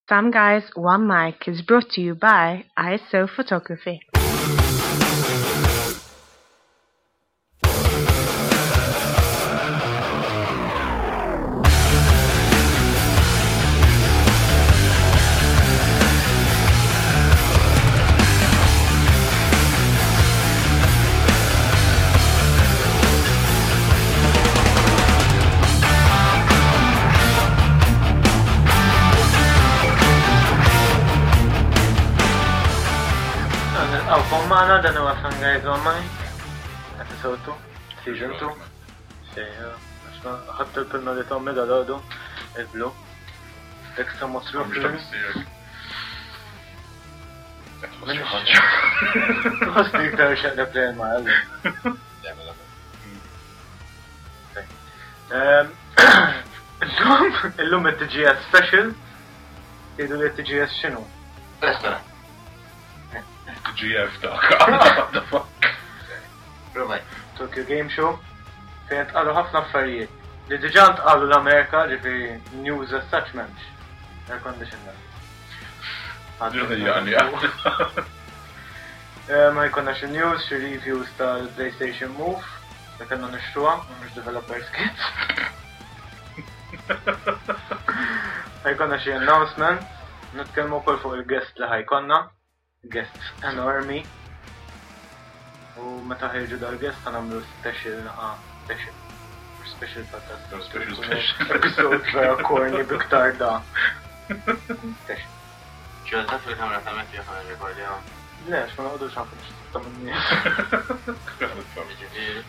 Some Guys, One Mic is brought to you by ISO Photography. Nilqawkom magħna dan huwa Fun Guys on Mic, episode 2, season 2. Sejja, ħadd il-pinna li tommi dal-għodu, il-blu. Extra mosru. Tħossni iktar xaqleb lejn ma għalli. Illum, illum it-TGS special. Tgħidu li t-TGS x'inhu? Restaurant. TGF dak. What the fuck? Provaj. Tokyo Game Show. Fejn tqalu ħafna affarijiet. Li diġà ntqalu l-Amerika, ġifieri news as such m'hemmx. Air condition da. Eh, ma jkollna xi news, xi reviews tal-PlayStation Move, li kellna nixtruha, mhux developers kit. Ħajkonna xi announcement, nitkellmu wkoll fuq il-guest li ħajkonna, guests enormi. U meta ħirġu dal-guest nagħmlu special naqa special. Special podcast. Special special. Episode vera corny biktar da. Special. Ġolta fil-kamra ta' Matthew ħana rekordjaw. Le, ma noqogħdux ħafna x'tista' minni. Ġifieri.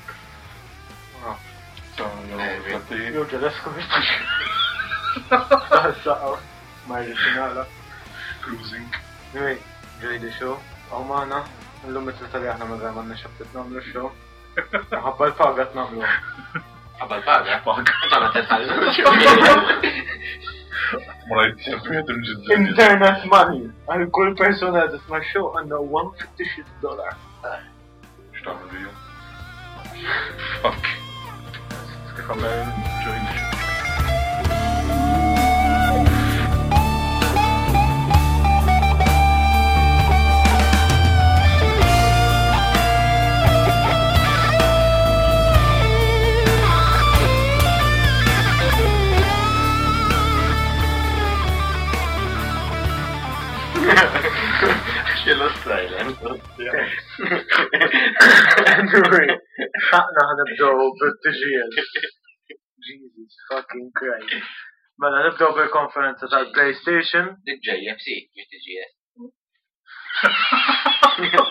Jew ġelesku biex Saqaw. Ma rridx nagħlaq. Cruising. Anyway, enjoy the show. Aw magħna, illum it-tlieta li aħna ma vera m'għandniex aptit nagħmlu show. Ħabba l-paga qed nagħmlu. Ħabba l-paga? Paga. Inta ma titħallux. Ma rajt jgħedim ġidda. Internet money. Għal kull persuna li tisma' show għandna 1 fictitious dollar. X'tagħmel bihom? Fuck. Kif għamel Enjoy the show. Xillu silent. Anyway, ħaqna ħanibdew bit-TGS. Jesus fucking Christ. Mela nibdew bil-konferenza tal-PlayStation. Dik JFC, mhux TGS.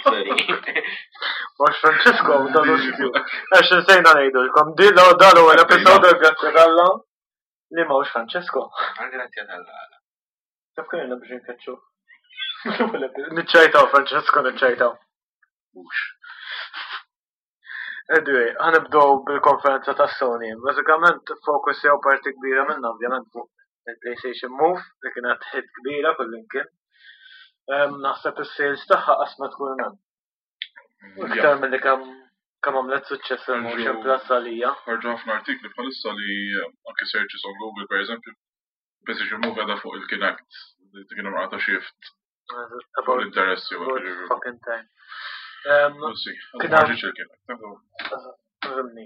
Sorry. Mux Francesco, dan ustju. Għax nsejna ngħidulkom, di l dan huwa l-episode grazzi talla li mawx Francesco. Għal-grazzja tal-għala. Taf kellna biex nkeċċu. Niċċajtaw, Francesco, niċċajtaw. Mux. Anyway, ħanibdew bil-konferenza ta' Sony. Bażikament fokus jew parti kbira minna ovvjament fuq il-PlayStation Move li kienet hit kbira kullimkien. Naħseb is-sales tagħha qasmet kull hemm. Iktar milli kemm kemm għamlet suċċess il-Motion Plus għalija. Ħarġu ħafna artikli bħalissa li anke searches on Google per eżempju, PlayStation Move għadha fuq il-Kinect, li kien hemm ta' shift fuq About l-interessi u about l fucking time. We'll see. Kien Ma ħarġitx il-Kinect. Fimni.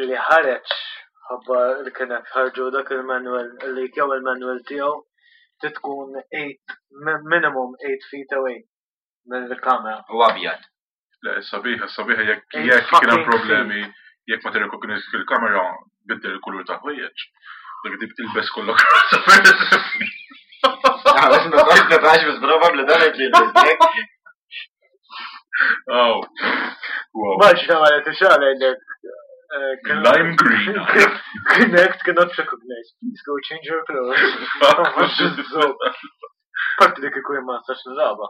Li ħareġ ħabba li kienet ħarġu dak il-manual li jew il-manual tiegħu titkun 8 minimum 8 feet away mill-kamera. U abjad. Le, sabiħa, sabiħa jekk Eight jekk kien hemm fucking problemi, jekk ma tirrekognizz fil-kamera biddel il-kulur ta' ħwejjeġ. Dak tip tilbes kollok rosa per eżempju. Għax ma tax bis probabli dan qed Oh. Wow. Maġna għalet xala jgħidlek. Lime green. Kinect cannot recognize. Please go change your clothes. Parti dik ikun ma nistax nilagħba.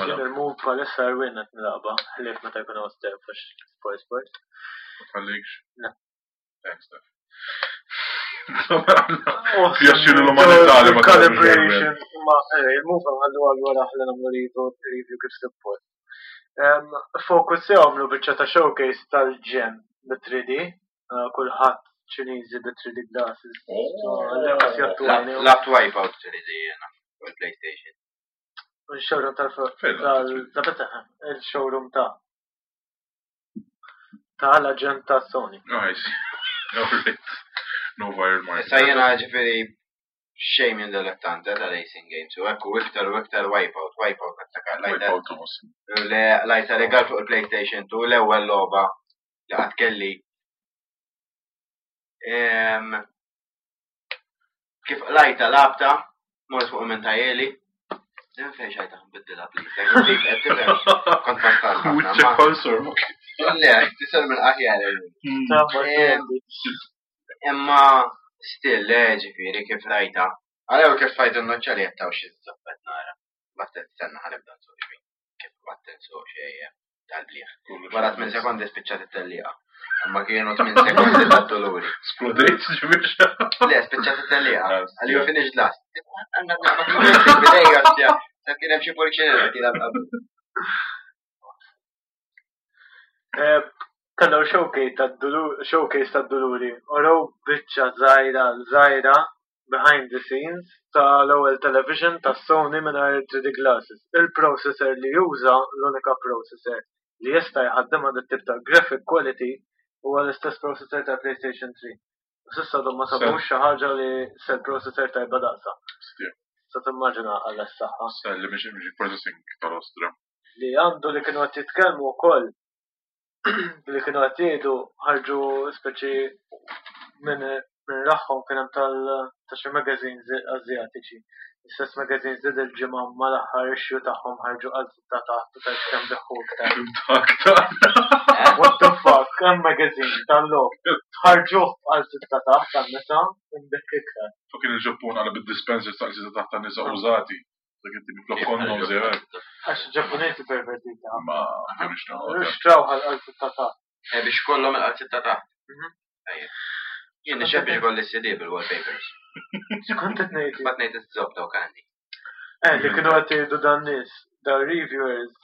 Jien il-move bħalissa rwien qed nilagħba, ħlief meta jkun hawn step għax spoil spoil. Tħallikx. Le. Thanks, Steph. Pjaċir l-umanità li ma Calibration, ma eh, il-move għallu għallu għal aħla nagħmlu review review kif suppost. Focus jew għamlu biċċa ta' showcase tal-ġen bi 3D, eh, kulħadd. Ċiniżi bi 3D glasses. Oh. Għallekas jattu għajnejhom. Labt Wipeout 3D jena, fuq il-PlayStation. Il-showroom tal Fejn tal il-showroom ta' ta' l-aġent ta' Sony. Nice. Alright. No viral marketing. Issa jena ġifiri xejn minn dilettante ta' racing games u ekku iktar u iktar Wipeout, Wipeout niftakar lajta Wipeout awesome. le lajta legal fuq il-PlayStation 2 l-ewwel logħba li qatt kelli. Em, Kif lajta labta, mort fuq minn tajeli. Din fejn xajta nbiddilha please. Jekk dik qed tifhem kont ma stax ħafna, Wiċċek ma- konsor. Le, tisel minn aħjar. Ta' Em, Imma still le ġifieri kif rajta. Għalew kif tfajt in-noċċa li qed taw xi żobbet nara. Battet stenna ħanibda nsuq xi. Kif battet nsuq xi tal-bliħ. Wara 8 sekondi spiċċat it-tellieqa. Imma kienu 8 sekondi tad-doluri. Splodejt ġibiex. Le, spiċċat it-tellieqa. Għalli ju finish last. Għandna naqbad bidejja ostja. Sa kien hemm xi pulċinella kien qabel. Eh, Kellhom showcase tad-duluri, showcase tad-duluri. Uraw biċċa żgħira żgħira behind the scenes tal-ewwel television ta' Sony mingħajr 3D glasses. Il-processor li juża l-unika processor li jista' jħaddimha dit tip ta' graphic quality huwa l-istess processor ta' PlayStation 3. U S'issa għadhom ma sabux xi ħaġa li se processor tajba daqsa. Sa timmaġina għal s-saħħa Li mhix mhix processing tal-ostra. li għandu li kienu qed jitkellmu wkoll li kienu qed jgħidu ħarġu speċi minn minn raħħom kien hemm tal ta' xi magazines Asjatiċi. L-istess magazines li dil-ġimgħa mal-aħħar issue tagħhom ħarġu għal ta' taħt u tajt kemm biħħu iktar. Dak ta' What the fuck, hemm magazine tal-logħob. Ħarġuh għal sitta taħt tan-nisa imbikk iktar. Fucking il-Ġappun għala bid-dispensers ta' sitta taħt tan-nisa użati. Dak it-tibi flok condoms jew hekk. Għax Ġappuniżi pervertita. Ma kienx naħodha. Xtraw għal sitta taħt. Eh, biex kollhom il-qalzit ta' taħt. Mhm. Tajjeb. Jien nixeb biex kolli CD bil-wallpapers. X'kont qed ngħid? Bat ngħid iż-żob daw kandi. Eh, li kienu qed jgħidu dan nies, da reviewers,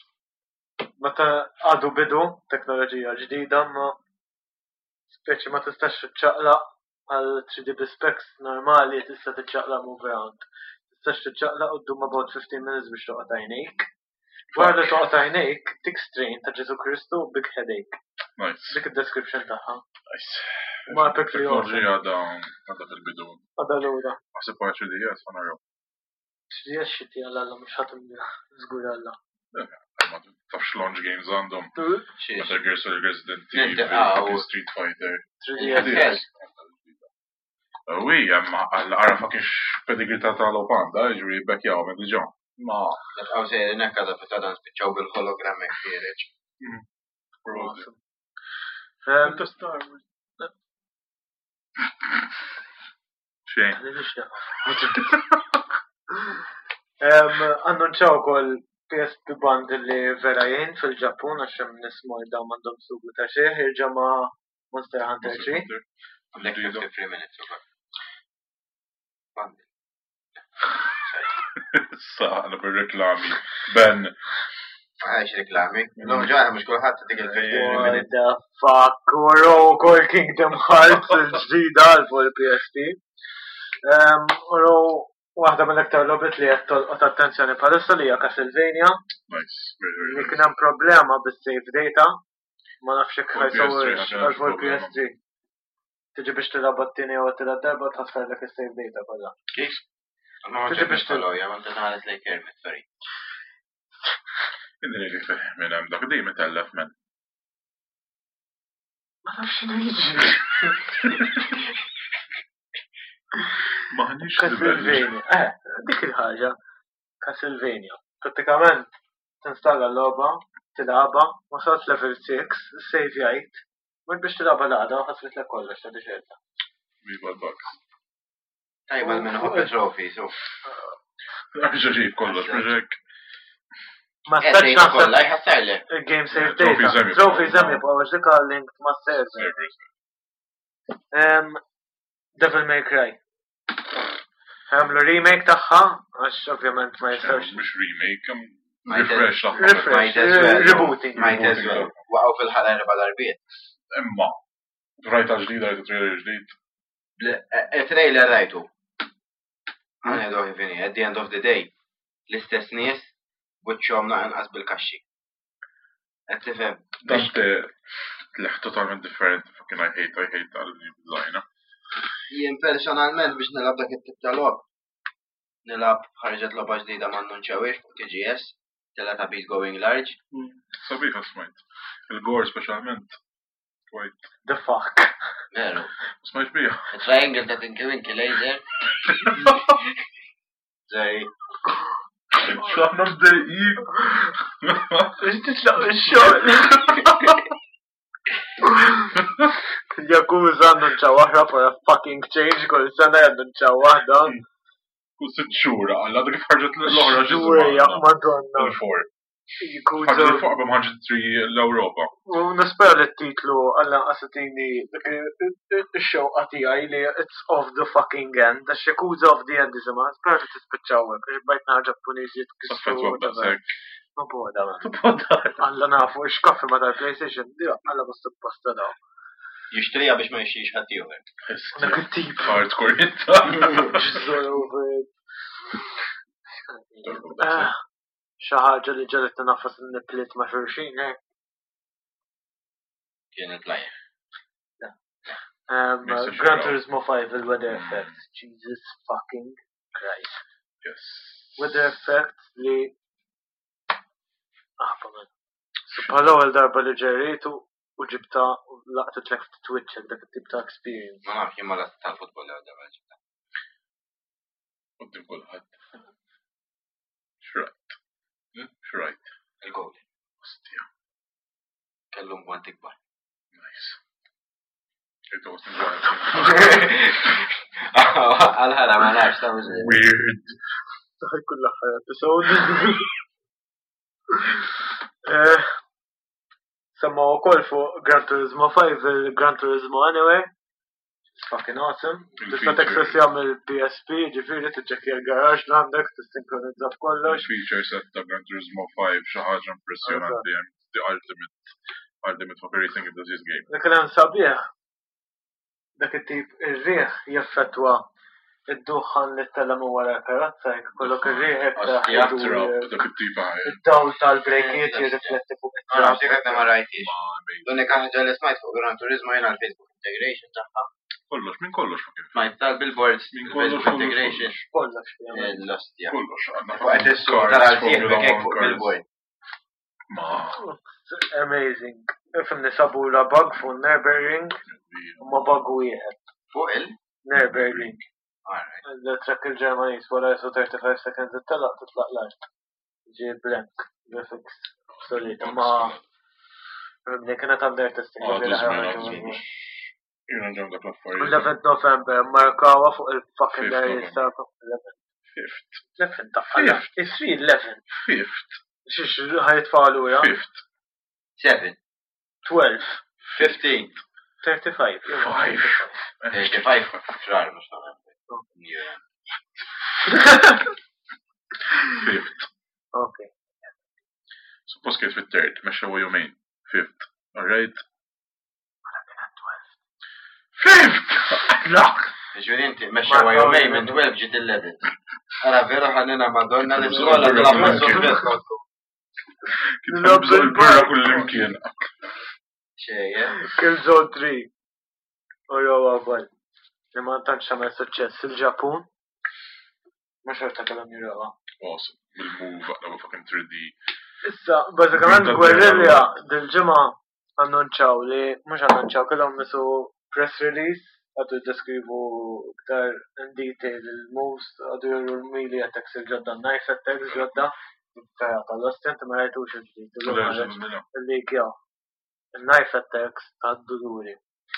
meta għadu bidu teknoloġija ġdida, ma speċi ma tistax tiċċaqlaq għal 3D bi specs normali tista' tiċċaqlaq move around. Tistax tiċċaqlaq u ddum about 15 minutes biex toqgħod għajnejk. Wara li toqgħod għajnejk, tik strain ta' Ġesu Kristu big headache. Nice. Dik id-description tagħha. Nice. Ma epically awesome. Teknoloġija għadha għadha fil-bidu. Għadha lura. Għasib għal 3DS għana jew. 3DS xiti għal Alla mhux ħadd żgur Alla. Ma tafx launch games għandhom. Xiex. Metal Gear Solid Resident Evil, Niltaqgħu. fucking Street Fighter. 3DS. Wi, imma għal-għara fucking pedigree ta' tal-opanda, ġuri bekjaw minn diġa. Ma, Nibqgħu sejrin hekk għadha fitada nispiċċaw bil-hologram hekk ħiereġ. probably. Awesome. Um, Inta Star Wars. Xejn. Annunċaw ukoll PSP Band li vera jgħin fil-Ġappun għax hemm nies morda m'għandhom sugu ta' xejn jirġa' ma' Monster Hunter 3. Għandek 53 minutes ukoll. Bandi. Issa, għana bil-reklami. Ben, Għax reklami. L-lum ġaħna mux kullħat dik il-53 What minutes. the fuck, uraw ukoll Kingdom Hearts il-ġdida għal fuq il-PSP. Uraw waħda mill-iktar logħbiet li qed tolqot attenzjoni bħalissa li hija Castlevania nice. Very, very li nice. kien hemm problema bis-save data. Ma nafx jekk Fuq PS3 ħajsawx ħaġa għal fuq problema. PS3. Tiġi biex tilgħab għat-tieni jew għat-tielet darba tħassarlek is-save data kollha. Kif? Ma Tiġi biex biex tollu, ja, ma tħares lej Kermit, sorry. Inni li fih minn hemm dak dejjem itellef men. Ma nafx x'inhu jiġri. Maħniex livelli. Castlevania. Eh, dik il-ħaġa. Castlevania. Pratikament tinstalla l-logħba, tilgħabha, wasalt level 6, save jgħid. Mur biex tilgħabha l-għada u ħasritlek kollox ta' diċerta. Viva l-bugs. Tajba l-minn ħobb il-trophy, so. Ġaġib kollox, mhux hekk. Ma Eh, stax dejta naħseb kollha jħassarlek. il-game save Trophies data. hemm jibqgħu. Trophies hemm jibqgħu għax dik linked ma' server. Servers. Devil May Cry. Għamlu remake tagħha, għax ovvjament ma jistgħux. Mhux remake, hemm Might as- refresh tagħha. Refresh, Might as well. rebooting. Might as well. Waqgħu fil-ħala erba' darbiet. Imma, rajta ġdida, rajta trailer ġdid. Il-trailer rajtu. Għana kif at the end of the day, l-istess nies buċċhom naqas bil-kaxxi. Qed tifhem? Dante leħ totalment differenti, fucking I hate tal-new design. Jien personalment biex nilgħab dak it-tip ta' logħob. Nilgħab ħarġet logħba ġdida ma annunċawiex fuq TGS, Teletubbies Going Large. Sabiħa smajt. Il-gore specialment. Quite. The fuck. Veru. Smajt bija. Triangle ta' Tinky Winky Laser. Sorry. Xaħna mdejqin. Biex titlaq ix-xogħol. Yakuza annunċaw oħra for a fucking change kull sena jannunċaw waħda. Kull sitt xhur, għalla dik ħarġet l-oħra Ġurja, madonna. Il-four. Yakuza. Ħarġet il-fuq qabel ma ħarġet 3 l-Ewropa. U nispera li t-titlu għalla qasatini dik ix-xewqa tiegħi li it's of the fucking end, għax Yakuza of the end jisimha, spera li tispiċċaw hekk, għax bajt nara Ġappuniżi jitkissru. Taffetwa b'daqshekk. Ma boda, man. Alla nafu, x'kaffi ma tal-PlayStation, di alla ma supposta daw. Jixtrija biex ma jixtrix ħadd ieħor. Dak it-tip. Hardcore jitta. Just all over it. Ah, Xi ħaġa li ġalet nafas n-niplit ma' xulxin, eh? Kien il-player. Gran Turismo 5 il-weather effect. Jesus fucking Christ. Yes. Weather effect li Aħba man. So bħala ewwel darba li ġerritu u ġibta u laqtet lek ftit wiċċek dak it-tip ta' experience. Ma nafx jien ma last tal-futbol l darba ġibta. Qoddim kulħadd. Xrajt. Xrajt. Il-goal. Ostja. Kellu mwant ikbar. Nice. It was enjoyable. Għal-ħara ma nafx ta' mhux. Weird. Taħi kull aħħar episode. Eh, Semma wkoll fuq Gran Turismo 5 il-Gran Turismo Anyway. It's fucking awesome. Tista' Il-feature. teksessja mill-PSP, ġifieri tiċċekkja l-garaġ li għandek, tissinkronizza f'kollox. Feature set ta' Gran Turismo 5 xi ħaġa impressjonanti. The ultimate ultimate fucking racing enthusiast game. Dak li hemm sabiħ, dak it-tip ir-riħ jaffettwa id-duħħan li tella minn wara l-karozza, jekk ikollok ir-riħ hekk Ostja, idur, Trap, dak it-tip ħaj. id-dawl tal-brejkiet jirrifletti fuq Ma it-trap. nafx jekk ma rajtix. Ma amazing. L-unika ħaġa li smajt fuq Gran Turismo jiena l-Facebook integration tagħha. Kollox, minn kollox fucking. Smajt tal-billboards, Minn kollox, il-Facebook kollox, integration. Kollox ovvjament. L-ostja. Kollox, għandna Fuq qed issuq cars, tara Formula l-sieħbek hekk One fuq cars. billboard. Ma. Amazing. Ifimni sabula bug fuq Nürburgring, u ma bug wieħed. Fuq il? Nürburgring. Alright. Il-track il-Ġermaniż wara jisu 35 seconds it-telaq titlaq l-art. Ġi blank, graphics, obsolete. Ma Ifimni kienet under testing. Għadu ġifieri żmien, ħarġu għadu minnu. żmien. Jiena ġem dak l-affarijiet. 11 November, markawa fuq il-fucking Fifth diaries November. ta' Fifth. 11 ta' It's 11. Fifth. Xiex ħajtfalu ja? Fifth. 7. 12. 15. 35. Five. 35 frar mhux Novembru. Yeah. Fifth. Okay. Suppost kien fit-third, mexxa jumejn. Fifth. Alright? Fifth! Lak! Ġifieri inti mexxa jumejn minn 12 ġiet 11. Ara veru ħanina Madonna l-iskola tilgħab mas-sospett. Kien bżonn il-birra kull imkien. Xejn, eh? Killzone 3. U jew għabal. Li ma tantx għamel suċċess il-Ġapun. Ma xorta kellhom jirawha. Awesome. Bil-move, għaqna fucking 3D. Issa, bażikament Green Guerrilla dil-ġimgħa annunċaw li mhux annunċaw kellhom nisu press release għadu jiddeskrivu iktar in detail il-moves, għadu juru l-melee attacks il-ġodda, knife attacks ġodda, Ferra tal-Ostent ma rajtux il-ġdid, illum ħareġ il-leak jaw. Il-knife attacks tad-duluri.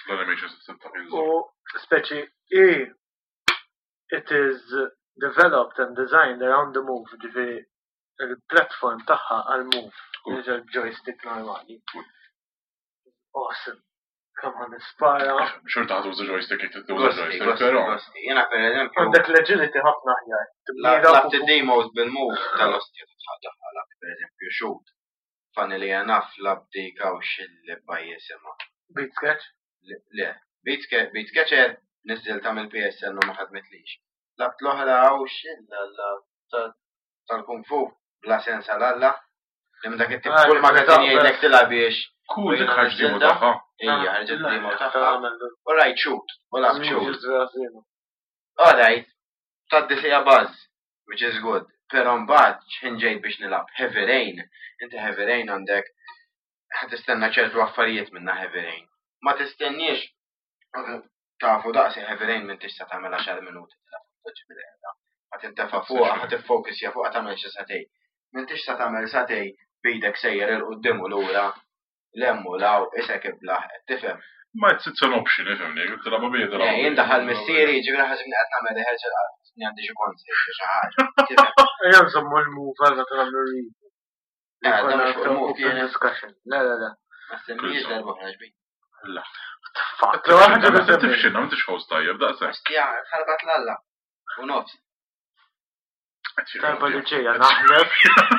L-animation system ta' U Killzone. speċi i it is developed and designed around the move, ġifieri il-platform tagħha għal move, Cool. mhux joystick normali. Cool. Awesome. Kemm ħan nispara. Xorta ħadu uża joystick jek tuża Gosti, joystick, gosti, però. gosti. Jiena per eżempju, Għandek l-agility ħafna aħjar. Tibnira labt fuq- id-demos bil-move tal-ostja tħaddaħħalak, per eżempju, shoot. Funnily enough, lab dik hawn xil-baj jisimha. Beat sketch. Le, Beat Catcher, Niżżiltha mill-PSN u ma ħadmitlix. Lgħabt l-oħra u x'illa tal-Kung Fu bla sens għal Alla. Li minn dak it-tip Ah, kull magazzin taqbel. jgħidlek tilgħabiex. Cool, U dik jiena ħarġ demo niżżiltha. tagħha. Ija, ħarġet demo tagħha. U rajt shoot, u lgħabt shoot. Shoot. Alright, tgħaddi siegħa buzz, which is good. Però mbagħad x'ħin ġejt biex nilgħab Heavy Rain, inti Heavy Rain għandek ħa tistenna ċertu affarijiet minna Heavy Rain. Ma tistenniex tafu daqsi Heavy Rain minn tista' tagħmel 10 minuti tilgħab toġġi bil-qiegħda. Ħa tintefa' fuqha, ħa tiffokusja fuqha tagħmel xi sagħtejn. Minn tista' tagħmel sagħtejn b'idek sejjer 'il quddiem u lura, 'l hemm u 'l hawn, isek iblaħ, qed tifhem. Ma it's an option, ifhimni, tilgħabha bija tilgħabha. Eh, jien daħal missieri, ġifieri ħasibni qed nagħmel rehearsal ħasibni għandi xi concert xi xi ħaġa. Tifhem? Ejja nżommu l-move għal meta nagħmlu review. Eh, dan mhux fuq il-move Open kienet. discussion. Le, le, le. Ma semmiex darba oħra xbin. La. Fuck, l ħaġa li semmejt. Tifxinna, ma tix host tajjeb, daqshekk. Ostja, ħarbat l-alla. U nofs. Darba li ġejja naħlef,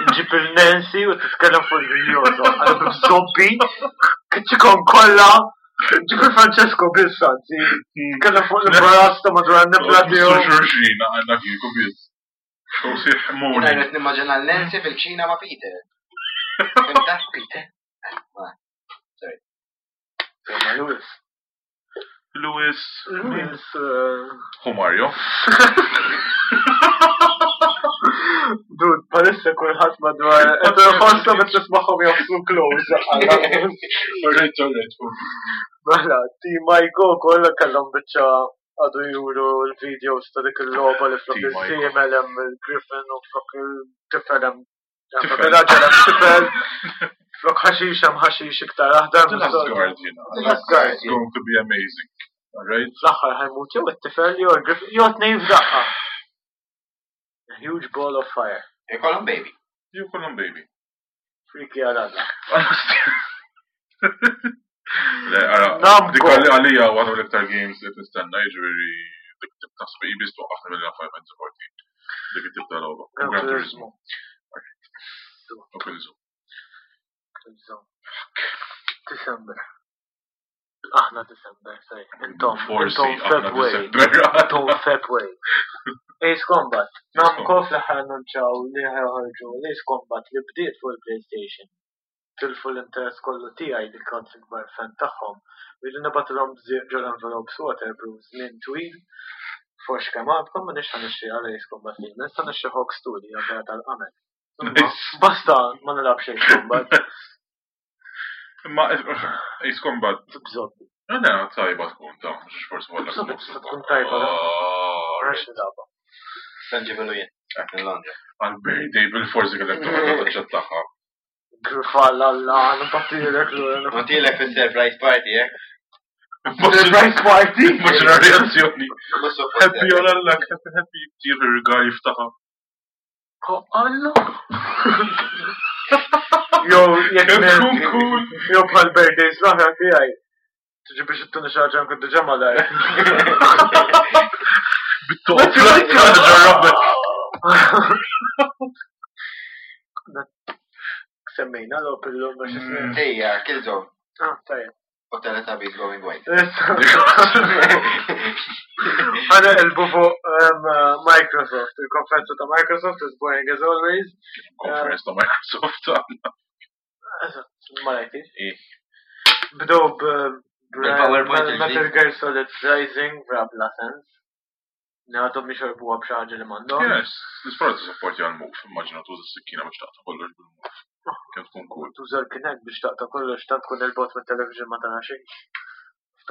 nġib il-Nancy u titkellem fuq il-Jozo. Għal b'zombi, kitxikom kollha, nġib il-Francesco biss anzi, titkellem fuq l-imbarazz ta' madwar n-nibla tiegħu. Xurxina għandna kieku biss. Xosih Jina morning. jret nimmaġina l-Nancy fil-kċina ma' Peter. Fimta, Peter? Ma, sorry. Ma Lewis. Lewis. Lewis. Hu Mario. Dude, palissa kulħadd madwar. Qed iħossu biex tismagħhom jafsu close. Alright, alright. Mela, Team Ico kollha kellhom biċċa għadu juru l-videos ta' dik il-logħba li flok Team Ico. il-siemel hemm il-Griffin u flok il-tifel hemm Tifel. flok il-raġel hemm tifel, flok ħaxix hemm ħaxix iktar aħdar. The Last Guardian. The Last Guardian. It's going to be amazing. Alright? Fl-aħħar ħajmut jew it-tifel jew il-Griffin jew tnejn f'daqqa. A huge ball of fire. Ikollhom baby. You call him baby. Freaky għal Alla. Le, ara, Namco. dik għalli għalija għadu l-iktar games li nistenna, jiġifieri dik tip ta' sbi biss twaqqafni mill Final Fantasy 14. Dik it-tip ta' logħba. Gran Gran Turismo. Turismo. U Killzone. December. Aħna December, sorry. Intom, Forsi, intom aħna February. December. Intom February. Ace Combat. Namco fl-aħħar annunċaw li ħajħorġu l-Ace Combat li bdiet fuq il-PlayStation. Tilfu l-interess kollu tiegħi li kont l-ikbar fan tagħhom. Rridu nibatilhom bżieq ġol envelopes waterproof żmien twil. Forx kemm għadkom ma nix ħanixxi għal Ace Combat li nista' nixxi Hawks 2 li hija vera tal-qamel. Imma Nice. Basta ma nilgħabx Ace Combat. Imma Ace Combat, Bżobbi. għana tajba tkun ta' mhux forsi għalla. Bżobbi tista' tkun tajba. Ah, Għax nilgħabha. Sanġibilu jien. Minn Londra. Għal-birthday bil-forsi kellek toħodha taċċettaha. Grifal alla, nbattilek l Montilek fil-surprise party, eh? Surprise party! Immaġina reazzjoni. Mhux suppost. Happy għal-alla, happy happy, tira ir-rigal jiftaħa. Oh, Alla! Jow, jek Kemm tkun cool. Jow bħal birthdays l-oħra tiegħi. Tiġi biex ittuni xi ħaġa nkun diġà malajr. Bit-toqla, ġarrabbek. Semmejna l-op illum biex ismi. Ejja, Killzone. Ah, tajjeb. U Teletubbies going white. Għana elbu fuq Microsoft, il-konferenza ta' Microsoft is boring as always. Conference ta' Microsoft. Eżatt, ma rajtix. Eh. Bdew Bil-PowerPoint Metal il-ġdid. Gear Solid Rising, bra bla sens. Għadhom jixorbuha b'xi ħaġa li m'għandhom. Yes, l-isport supporti għal-move, immaġina tuża s-sikkina biex taqta' kollox bil-move. Kemm tkun cool. Tuża l-Kinect biex taqta' kollox tant tkun il-bot mit-television ma tara xejn.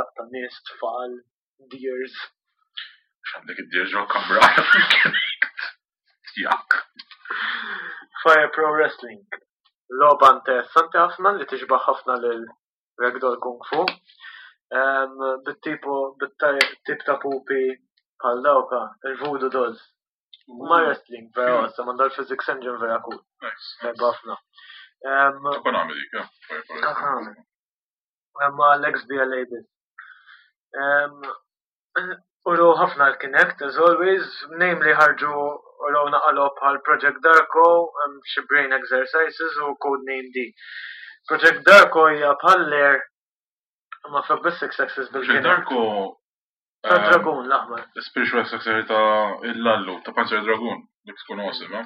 Taqta' nies, tfal, deers. X'għandek id-dir ġo kamra fil-Kinect. Jak. Fire Pro Wrestling. Logħba interessanti ħafna li tixbaħ ħafna lil Ragdoll Kung Fu. Bit-tipo, bit-tip ta' pupi bħal dawka, il-Voodoo Dolls. Ma wrestling, vera, sa mandal physics engine vera cool. Nice. Tajba ħafna. Ta' Konami dik, eh? Fire Pro Ta' Wrestling. Konami. Ma l-XBLA biss. Uru ħafna l-Kinect, as always, namely ħarġu uru naqalop bħal Project Darko, xi brain exercises u Codename D. Project Darko hija bħal Lair, ma flok bis six axis Project bil-Kinect. Darko Ta' Dragoon l-aħmar. Spiritual successor ta' il-Lallu, ta' Panzer Dragoon. Dik tkun awesome, eh?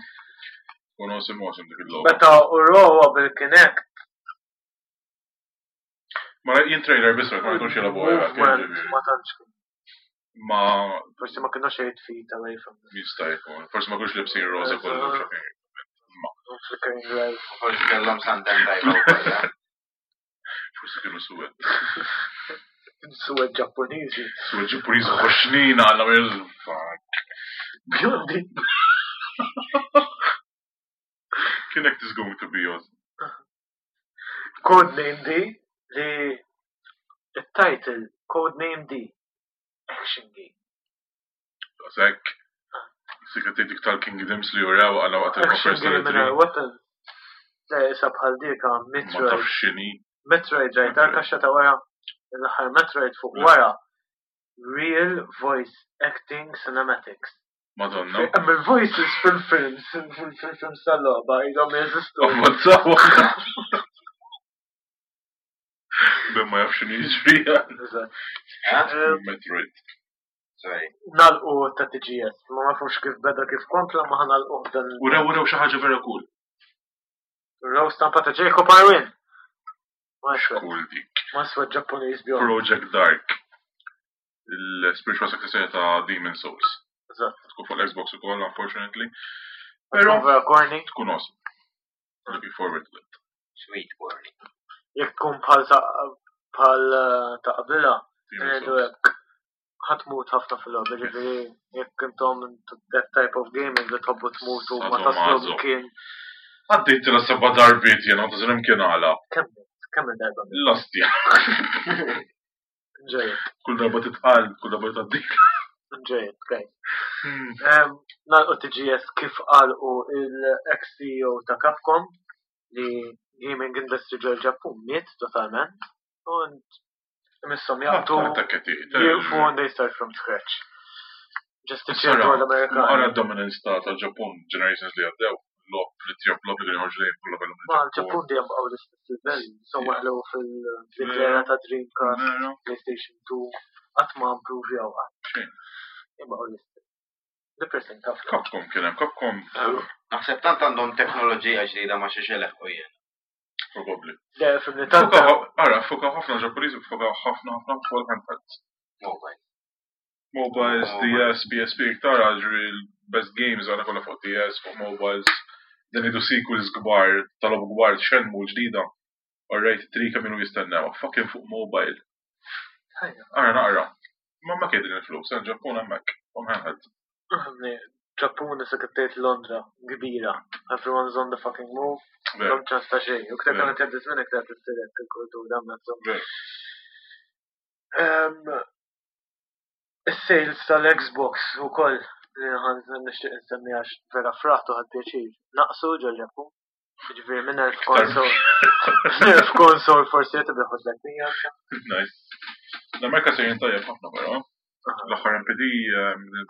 Tkun awesome, awesome dik il-logħba. Meta urowa bil-Kinect. Ma jien trailer biss ma jkunx jilagħbu Movement ma tantx kien. Ma Forsi ma kienux 8 feet away from them. Jista' jkun. Forsi ma kienux libsin rosa kollu. Ma. Flickering lights. Forsi kellhom sandan tajba wkoll. Eh? Forsi kienu suwed. Suwed Ġappuniżi. Suwed Ġappuniżi ħoxnin għalla fuck. Bjondi. Kinect is going to be awesome. Codename D li il-title Codename D Action Game. Sekk. Sika dik tal-Kingdoms li jurew għala waqt il-konferenza. Action Game what Le, isa bħal dika Metroid. Ma tafx x'inhi. Metroid rajt tal-kaxxa ta' wara l-aħħar Metroid fuq wara. Real Voice Acting Cinematics. Madonna. Hemm il-voices fil-films, fil-films tal-logħba ilhom jeżistu. Ammazzaw. Ben ma jafx x'inhi jiġri. Eżatt. Metroid. Sorry. Nalqu ta' TGS, ma nafux kif beda kif kompla ma ħanalqu dan. Urew urew xi ħaġa vera cool. Urew stampa ta' Jacob Arwin. Ma Cool dik. Ma swed Ġappuniż bjond. Project Dark. Il-spiritual successor ta' Demon Souls. Eżatt. Tkun fuq l-Xbox ukoll, unfortunately. Pero vera corny. Tkun awesome. Looking forward to it. Sweet corny. Jekk tkun bħal ta' bħal eh, ta' qabilha, ngħidu hekk ħatmut ħafna fil-logħba, ġifieri jekk intom that type of gaming li tħobbu tmutu ma taslu kien. Għaddejt tila seba darbiet jena, ta' zrim kien għala. Kemm kemm il-darba? L-ostja. Enjoy it. Kull darba titqal, kull darba tgħaddik. Enjoy it, guys. Hmm. Nalqu TGS kif qalqu il-ex-CEO ta' Capcom li gaming industry ġol Ġappun miet totalment. Und Imisshom jaqtu jieqfu and they start from scratch. Just iċċertu għall-Amerikani. Ara dominance ta' tal-Ġappun generations li għaddew, lop li tjob lop li joħorġu dejjem kollha kellhom. Ma l-Ġappun dejjem baqgħu l-istess livell, insomma ħlew fil-era ta' Dreamcast, PlayStation 2, qatt ma improvjaw qatt. Jibqgħu l-istess. Depressing ħafna. Capcom kien hemm, Capcom. Naħseb tant għandhom teknoloġija ġdida ma xi xeleħqu jien. Probably. Le, fimni tant. Ara, fuka ħafna Ġappuniżi fuka ħafna ħafna fuq il-handhelds. Mobile. Mobiles, DS, PSP, iktar ġri l-best games għana kollha fuq DS, fuq mobiles. Dan idu sequels kbar, tal-lob kbar, Shenmue ġdida. Alright, trika minnu jistennew, fucking fuq mobile. Ara naqra. Ma ma kedin il-flus, eh, Ġappun hemmhekk, on handheld. Ġappun issa kif tgħid Londra, kbira. Everyone's on the fucking move. M'hemm ċans ta' xejn. U ktar kemm qed jgħaddi żmien iktar tissir hekk il-kultura hemmhekk. Is-sales tal-Xbox ukoll li ħan nixtieq insemmi għax vera fraħt u ħadd pjaċir. Naqsu ġol-Ġappun. Ġifieri minn 1000 konsol. 1000 konsol forsi qed ibiħu 300. Nice. L-Amerika sejrin tajjeb ħafna però. L-aħħar MPD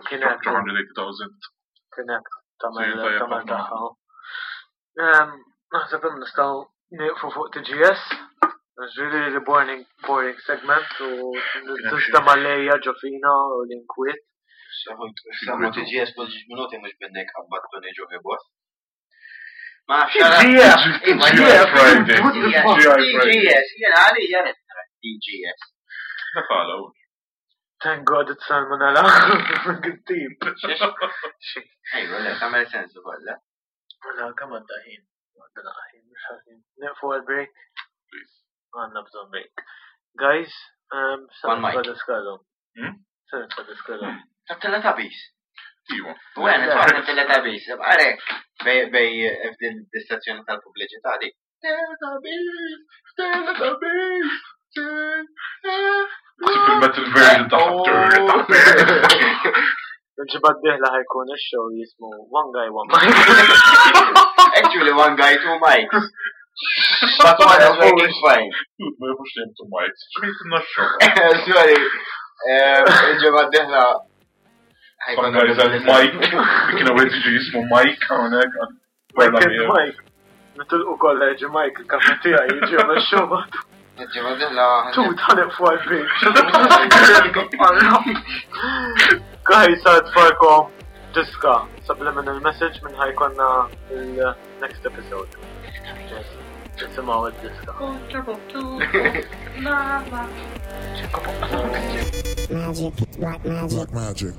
280,000. Kien hekk tagħmel tagħmel tagħha. Naħseb hemm nistgħu nieqfu fuq TGS. Really, really boring, boring segment u tista' lejja ġofina u l-inkwiet. Samma TGS kull ġiġ minuti mhux binnek qabbattuni ġo bos. Ma TGS! TGS, jena għalija nitra TGS. Dak għala u. Thank God it's salmonella. Good tip. Ejwa, le, tagħmel sens ukoll, le? Mela, kemm għadda ħin? Għadda ħin, mhux ħażin. Nieqfu għal-break? Għandna bżonn break. Guys, um, sa One mic. nitfa' Hmm? Sa nitfa' diskalhom. Ta' Teletubbies. Iwa. U għen, tfaħna Teletubbies. Għarek, bej bej f'din l-istazzjoni tal-pubbliċità di. Teletubbies, Teletubbies, Ksib il-metal version ta' Teletubbies. Il-ġimgħa d-dieħla ħajkun ix-show jismu One Guy One Mic. Actually, one guy, two mics. But one is working fine. Dude, ma jafux li two mics. Xmejt il-naxxu. Sorry. Il-ġimgħa d-dieħla. Some guys have Mike. Kien għu jiġi jismu Mike hawnhekk. Mike and Mike. Nitilqu kollha jiġi Mike il-kafe tiegħi jiġi għamel show. Ġimgħa d-dieħla. Tut, ħaneq fuq għal-break. Guys, għad diska subliminal message minn ħajkonna il-next episode. Nisimaw il-diska. Magic, black magic. Black magic.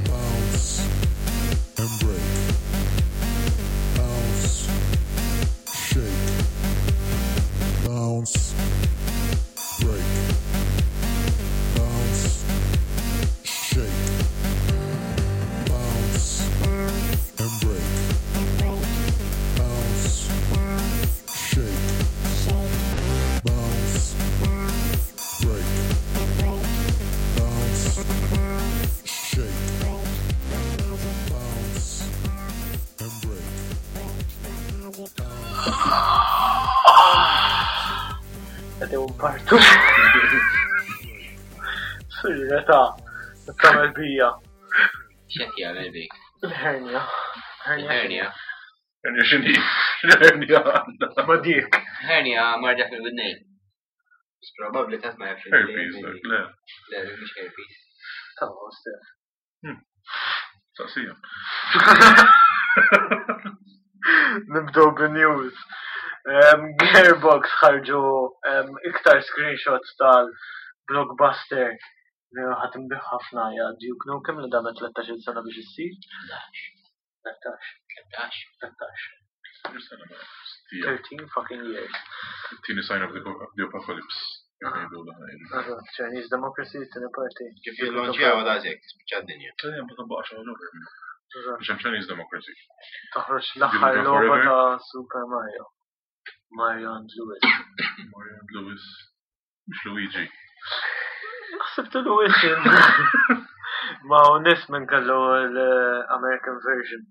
Bounce and break. Bounce. Shake. Bounce. Break. Bounce. Shake. Bounce and break. Bounce. Shake. Bounce. Break. Bounce. Shake. Bounce and break. Għadew partu. Sirra ta' tamel bija. X'qed jagħmel bik? Il-hernia. Hernia. Hernia x'inhi? Hernia għandha. Ma dik. Hernia marda fil-widnejn. Probabbli ta' ma jafx. Herpes, dak, le. Le, mhux herpes. Ta' stef. Saqsija. Nibdew bin-news. Gearbox ħarġu iktar screenshots tal-blockbuster li ħadd imbiħ ħafna hija Duke Nukem li damet 13 sena biex issir. 13. 13. 13. Sena ma. Stija. 13 fucking years. Tini sign of the the apocalypse. Jgħidu l ħajdu. Eżatt, Chinese Democracy, tieni parti. Kif jillonċjaw daqshekk tispiċċa d-dinja. Tajja, ma tabbaqx għal ġover. Eżatt. Biex hemm Chinese democracy. Toħroġ l-aħħar Duke logħba Forever. ta' Super Mario. Mario and Louis. Mario and Louis. Mux Luigi. Ħsibtu Louis. Ma u nis minn kellu l-American version.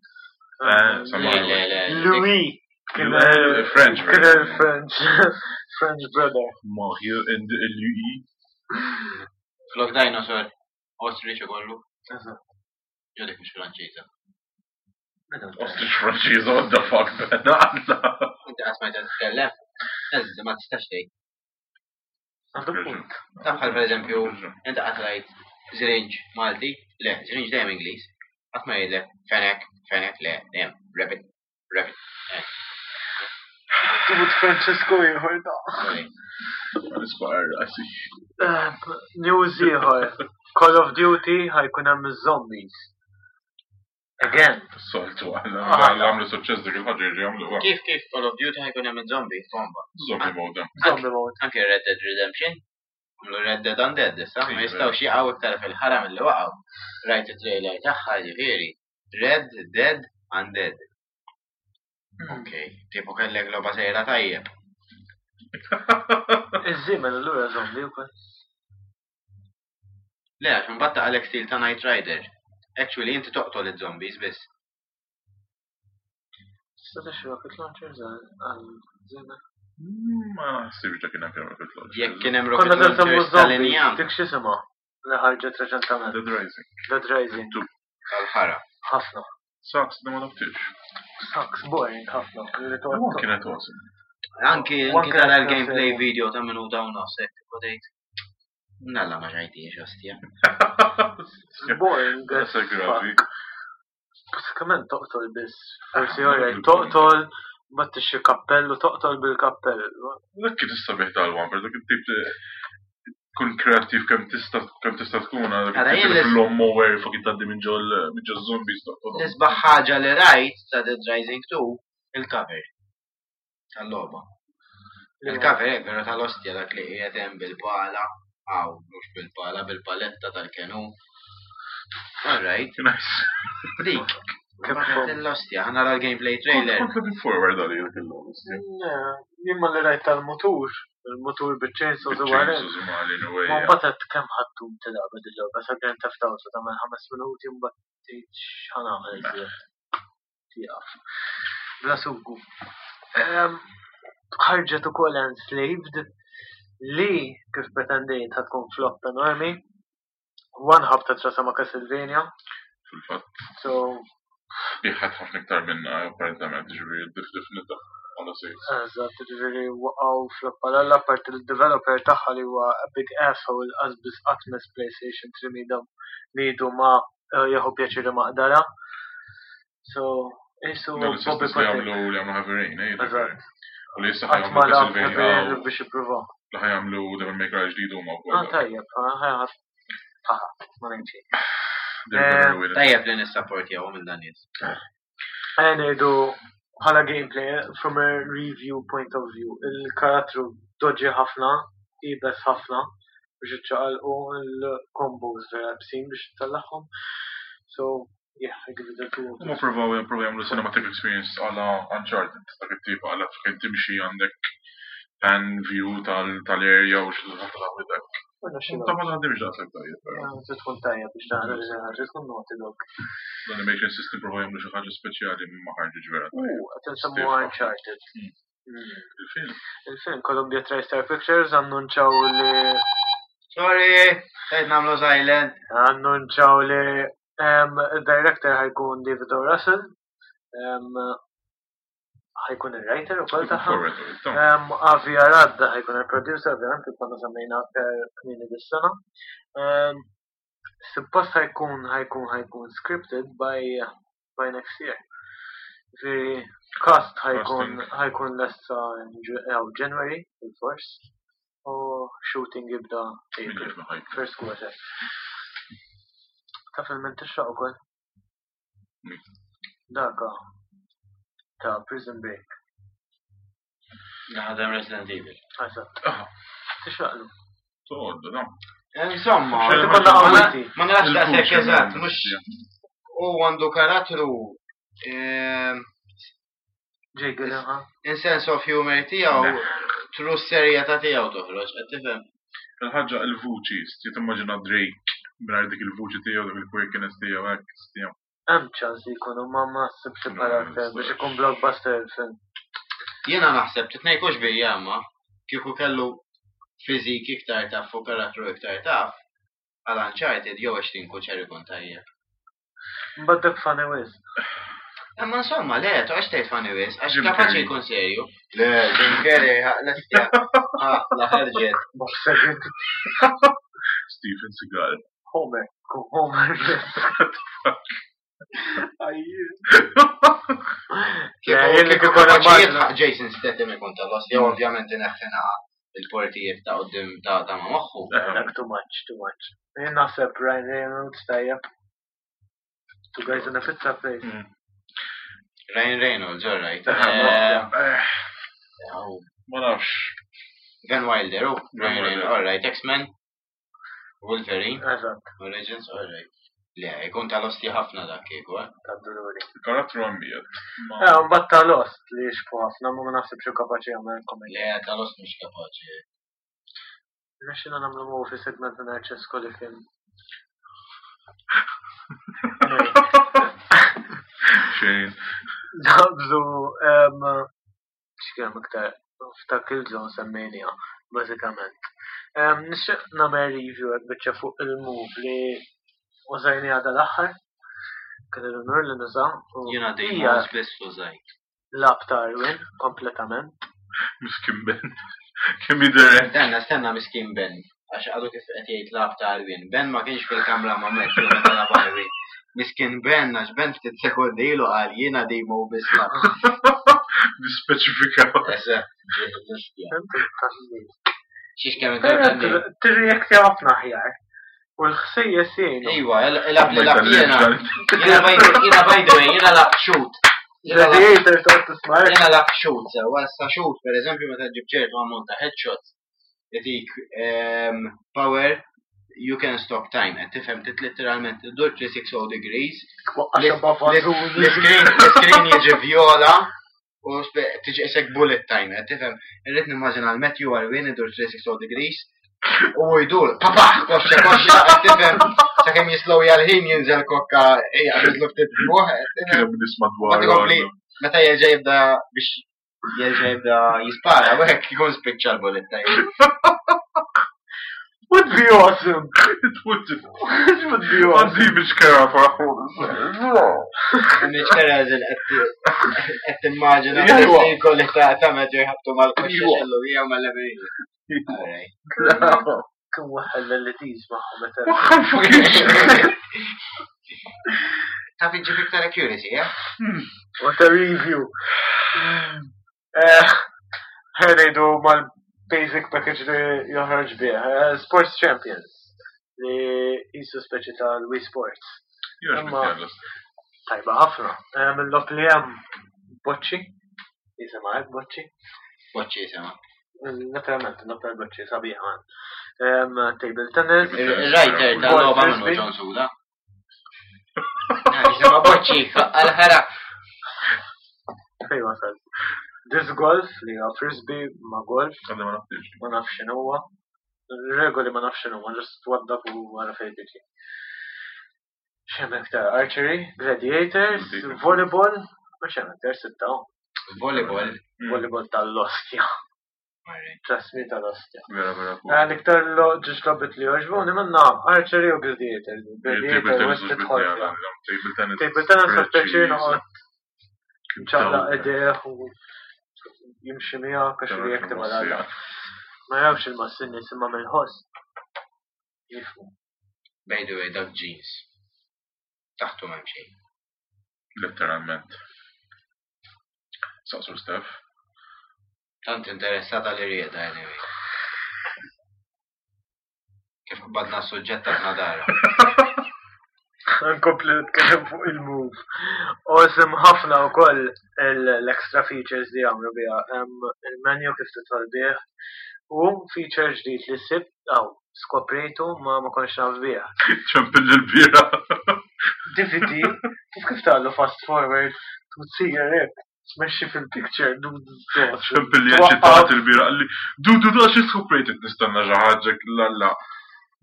Eh, Sama- Le, le, le. Louis. Kien Louis, French Kien version. French. French brother. Mario and Louis. Flok dinosaur. Ostrich ukollu. Eżatt. Jew dik mhux Franċiża. Ostrich Franċiża, what the fuck, man. Għalla. Inti qatt ma titkellem. Eżatt, ma tistax tgħid. Għandu punt. Taf bħal pereżempju, inti qatt rajt Zrinġ Malti, le, Zrinġ dejjem Ingliż. Qatt ma jgħidlek fenek, fenek, le, dejjem rabbit, rabbit. Tut Francesco ieħor da. Sorry. Nisbar, għasi. News ieħor. Call of Duty ħajkun hemm iż-zombies. Again. Soltu, għalla. Ah. Għalla għamlu suċċess dik il-ħagġa jirġi għamlu. Kif kif Call of Duty ħajkun hemm zombie bomba. Zombie mode. Zombie mode. Anke Red Dead Redemption. Għamlu Red Dead Undead issa, ma Iva. jistgħux jaqgħu iktar fil-ħara milli waqgħu. Rajt it-trailer tagħha ġifieri. Red Dead Undead. Ok, tipo kellek logħba sejra tajjeb. Iż-żiemel allura zombie wkoll. Le, għax imbagħad taqalek stil ta' Night Rider. Actually, inti toqtol iż-zombies biss. Tista' tixtri rocket launchers għal żiemel. Ma naħsibx dak kien hemm rocket launcher. Jekk kien hemm rocket Konna tal-semmu launchers zombies, tal-injam dik x'isimha li ħarġet reċentament. Dead Rising. Dead Rising. Tu. tal-ħara. Ħafna. Sucks, da ma labtix. Sucks, boring ħafna. Li One toqgħod- kienet awesome. Anki One anki tara kienet l-gameplay sewa. video ta' minuta u nofs hekk tipo tgħid. Nalla ma ġajtiex ostja. Boring as That's a gravi. fuck. Basikament toqtol biss. Forsi oraj, toqtol, ma tixxi kappell u toqtol bil-kappell. Dak kien is-sabiħ tal-one, per dak it-tip tkun kreattiv kemm tista' kemm tista' tkun għal Ara, jien l- fil-lawnmower fucking tgħaddi minn ġol minn ġol zombies toqtolhom. L-isbaħ ħaġa li rajt ta' Dead Rising 2 il-cover tal-logħba. Il-cover hekk vera tal-ostja dak li qiegħed hemm bil-pala, aw mhux bil-pala, bil-paletta tal-kenu. All right, Nice. dik. Capcom. L-ostja, ħa nara l-gameplay trailer. Kont looking forward għal dik il-logħba. Le, Jien ma li rajt tal-mutur, il-mutur bil-chainsaws u għarek. Chainsaws u malin u Ma mbagħad għedt kemm ħattum tilgħab il-logħba sa Grand Theft Auto tagħmel ħames minuti mbagħad tgħid x'ħa nagħmel iżjed. Tieqaf. Bla sugu. Ħarġet ukoll Enslaved li kif pretendejt ħa tkun flop enormi. One ħabta trasa ma' Castlevania. Fil-fatt, So, biħat ħafna iktar minna, apparentament, ġifieri dif-difnita għala sejs. Eżatt, ġifieri waqgħu flop għal apart il-developer tagħha li huwa a big asshole qasbis qatt mess PlayStation 3 midhom midu ma jieħu pjaċiri maqdara. So, isu Dawn Bobby l-istess li Kotick. jagħmlu li jagħmlu Heavy Rain, eh? Eżatt. U li issa Qatt ħajamlu ma lab Heavy Castlevania, Rain biex jippruvaw. li ħajamlu Devil May Cry ġdid huma Ah, wkoll. tajjeb, ah, ah, ma ngħid xejn. They're gonna ruin it. Tajjeb li nissapportjaw minn dan nies. Ejja ngħidu bħala gameplay from a review point of view, il-karattru doġi ħafna, ibes ħafna biex iċċaqalqu il-combos vera bsin biex tellagħhom. So, yeah, I give it a two. out Huma of provaw provaw jagħmlu cinematic experience għala Uncharted, dak it-tip għala fejn timxi għandek pan view tal-area u xi ħadd dak. Wara xi Ta' ma taħdimx daqshekk tajjeb, però. Trid tkun tajjeb biex taħdem li ħaġa tkun Naughty Dog. L-animation system provaw jagħmlu xi ħaġa speċjali ma ħarġitx vera U tajjeb. qed insemmu Uncharted. Il-film. Il-film Columbia TriStar Pictures annunċaw li Sorry, tajt namlu silent. annunċaw li il-director ħajkun David O. Russell, ħajkun il-writer ukoll tagħha. Forward to it, ta' Avi Arad ħajkun il-producer, ovvjament, kif konna semmejna aktar kmieni dis-sena. Suppost ħajkun ħajkun ħajkun scripted by by next year. Ġifieri cast ħajkun Casting. ħajkun lesta in jew January fil-fors u shooting jibda min April, jaf ħajkun. first quarter. Taf il-min tixraq ukoll? Min? Daka ta' Prison Break. Naħdem Resident Evil. Eżatt. Ah, Tixraqlu. toqgħod, no. Insomma, Xejn Konna ma qawwiti. ma narax daqshekk Il-vuċi, eżatt, man, mhux yeah. u għandu karattru Jake Gyllenhaal. in sense of humor tiegħu tru s-serjetà tiegħu toħroġ, qed tifhem. Il-ħaġa il-vuċi, ti timmaġina Drake mingħajr dik il-vuċi tiegħu, dak il-quirkiness tiegħu hekk, tiegħu. Hemm ċans li jkunu ma ma ssibx No, il-karakter biex ikun blockbuster il-film. Jiena naħseb titnejkux bija ma kieku kellu fizik iktar taf u karattru iktar taf, għal Uncharted jew għax kuċer ikun tajjeb. Mbagħad dak funny wisq. Imma insomma, le, toqgħodx tgħid funny wis, għax Jim kapaċi Carrey. jkun serju. Le, Jim Carrey, l-estja. Ah, la ħarġet. Bob Saget. Steven Seagal. Homer. Kun Homer. Ajju. Kieku jien li kieku kieku kapaċi nimmaġina. jitħaq Jason Statham ikun tal-lost, jew ovvjament ineħħina il-portijiet ta' qudiem ta' ta' ma' moħħu. Dak too much, too much. Jien naħseb Ryan Reynolds tajjeb. Two guys in a pizza place. Ryan Reynolds, all right. Eh, Ma nafx. Van Wilder, oh, Van Ryan Wilder. Reynolds, all right. X-Men, Wolverine, Eżatt, Origins, all right. Le, ikun tal-osti ħafna dak kieku, eh. tad-dolori. Il-karattru għammijiet. Eh, mbagħad ta' Lost li jixbu ħafna, ma ma naħsibx hu kapaċi jagħmel komedja. Le, tal-ost mhux kapaċi. Rnexxina nagħmlu movie segment minn Ċesco li kien. Anyway, Xejn. Nabżu, x'kien iktar f'ta' Killzone semmejniha, bażikament. Nixtieq nagħmel review hekk biċċa fuq il-move li użajniha dal-aħħar. Kien l-unur li nuża u Jiena dejjem hija spiss użajt. lab ta' Arwin kompletament. Miskin Ben. Kemm jidher Stenna, stenna miskin Ben. Għax għadu kif qed jgħid lab ta' Arwin. Ben ma kienx fil-kamra ma' Matt meta lab Arwin. Miskin Ben, għax Ben ftit sekondi ilu qal jiena dejjem u biss lab. Nispeċifikaw. Eżatt, ġi- Inti taħli. Xiex kemm Però inti Tirreaktja ħafna aħjar. U l-ħsejjes jgħinu. Iwa, il-lab li lab jiena. Jiena by jiena by the way, jiena lab shoot. Jiena lab- Gladiator toqgħod tisma' Jiena lab shoot, sewa sa shoot, per eżempju, meta ġib ċertu ammont ta' headshots, jatik power you can stop time, qed tifhem tit literalment iddur 360 degrees. Waqqa xebba vażuni. L-screen jiġi viola u tiġi isek bullet time, qed tifhem. Irrid nimmaġina l-Matthew Arwin idur 360 degrees u jdur, papa, koxxa, koxxa, qed tifhem. Sakemm jislow jal-ħin jinżel kokka jaqbidlu ftit buħ, qed tifhem. Kien hemm nies madwar. Ma tkompli. Meta jerġa' jibda biex jerġa' jibda jispara, u hekk ikun spiċċa l-bullet time. Would be awesome. It would. It would be awesome. Għandi biex kera Mhix kera eżil qed timmaġina Ejwa. li jkolli ta' ta' Matthew jħabtu mal-koxxa Ejwa. xellu jew mal-leverija. Alright. Kien waħħal l-LEDs magħhom meta. Taf iġġib iktar accuracy, eh? What a review. Ħenejdu mal-basic package li joħroġ bih. Sports Champions. Li jisu speċi tal-Wii Sports. Tajba ħafna. Mill-lok li hemm boċċi. Jisimha hekk boċċi. Boċċi jisimha. Naturalment, l-lok tal-boċċi sabiħa. Table tennis. Il-writer tal-logħba minnu John Suda. Jisimha boċċi, għal-ħara. Fej wasal. Disc golf li huwa frisbee ma' golf. Għandi ma nafx. Ma nafx x'inhuwa. Regoli ma nafx x'inhuma, just twaddab u wara fejn tiġi. X'hemm iktar? Archery, gladiators, Gladiators. volleyball, ma x'hemm iktar sitta. oh. Volleyball. Volleyball tal-ostja. Alright. Trust me tal-ostja. Vera, vera. L-iktar ġiġ lobit li joġbuni minna archery u gladiators. Table Gladiator tennis west tidħol fiha. Table tennis. Table tennis għaf pjaċir noqgħod ċaqlaq Dawk. idejh u jimxi miegħek għax li jekk tibgħal għalla. Ma jafx il-massin imma mill-ħoss. Jifmu. By the way, dak jeans. Taħtu m'hemm xejn. Letteralment. Saqsu Steph. Tant interessata li rieda anyway. Kif qbadna s-suġġett ta' nadara. Nkompli nitkellem fuq il-move. Awesome ħafna wkoll l-extra features li għamlu biha. Hemm il-menu kif tidħol bih u feature ġdid li sibt aw skoprejtu ma ma kontx naf bih. ċempil l-bira. DVD, kif kif tagħlu fast forward, tsir hekk, tmexxi fil-picture, ċempil li eċitat il-bira. Għalli, du, du, du, għax skoprejt nistenna ġaħġek, la, la.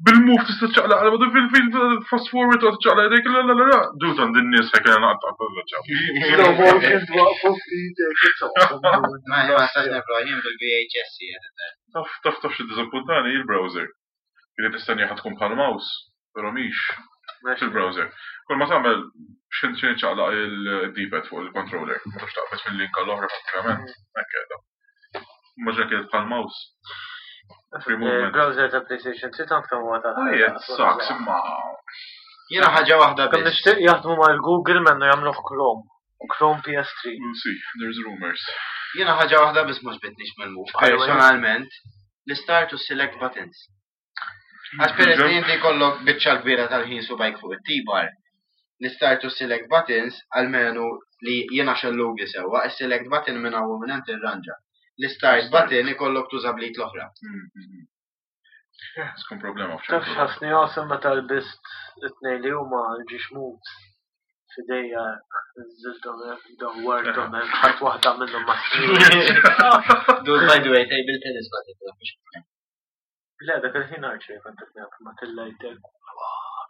Bil-move tista' ċaqla għal du fil-fil fast forward u ċaqla għedek, la, la, la, la. Du, tan din nies ħek għana għatta, Slow motion twaqfu f'idek, it's awesome. Ma ma stax nifra jien bil-VHS jien. Taf, taf, taf xie dizappuntani il-browser. Kienet nistenni ħatkun bħal mouse, pero mhix fil-browser. Kull ma tagħmel xin xin ċaqlaq il-D-pad fuq il-controller, ma tafx taqbad mill-link għall-oħra pratikament. Hekk qiegħda. Ma ġa kienet bħal mouse. Free movement. Il-browser ta' PlayStation 3 tant kemm huwa ta' Oh, yeah, it sucks, imma. Jiena ħaġa waħda Kemm biss. nixtieq jaħdmu mal-Google mennu jagħmluh Chrome. Chrome PS3. We'll see, there's rumors. Jiena ħaġa waħda biss mhux bitnix mill-move. Personalment, l-start u select buttons. Għax peress li inti jkollok biċċa l-kbira tal-ħin subajk fuq it-T-bar, l-start u select buttons għalmenu li jiena xellugi sewwa, is-select button minn hawn u minn hemm tirranġa. L-start button ikollok tuża blit l-oħra. Skun problema Taf f'ċertu. x'ħassni awesome meta lbist it-tnejn li huma l-ġiex moves f'idejja nżilthom hekk, dawwarthom hekk, ħadd waħda minnhom ma' snin. Dude, by the way, table tennis button. taf Le, dak il-ħin archery kont qed ngħid ma tillajtek.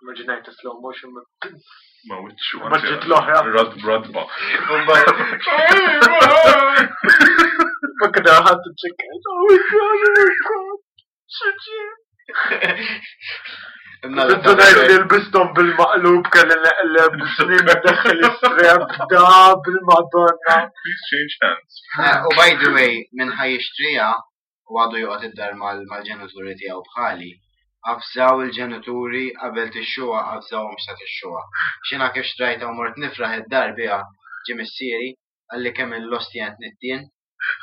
Immaġinajt slow motion ma Ma wiċċu. Ma ġiet l-oħra. Rad radba. Ma kien ħadd iċċekkajt. Oh my god, oh my god. X'ġie? Dunajt li l-bistom bil-maqlub kelli neqleb snin daħħel istrep da bil-madonna. Please change hands. U by the way, minn ħaj jixtrija u għadu joqgħod id-dar mal-ġenituri tiegħu bħali, avżaw il-ġenituri qabel tixxuha avżawhom x'ta tixxuha. Xina kif xtrajta u mort nifraħ id-dar biha ġie missieri għalli kemm il-losti għand nittien,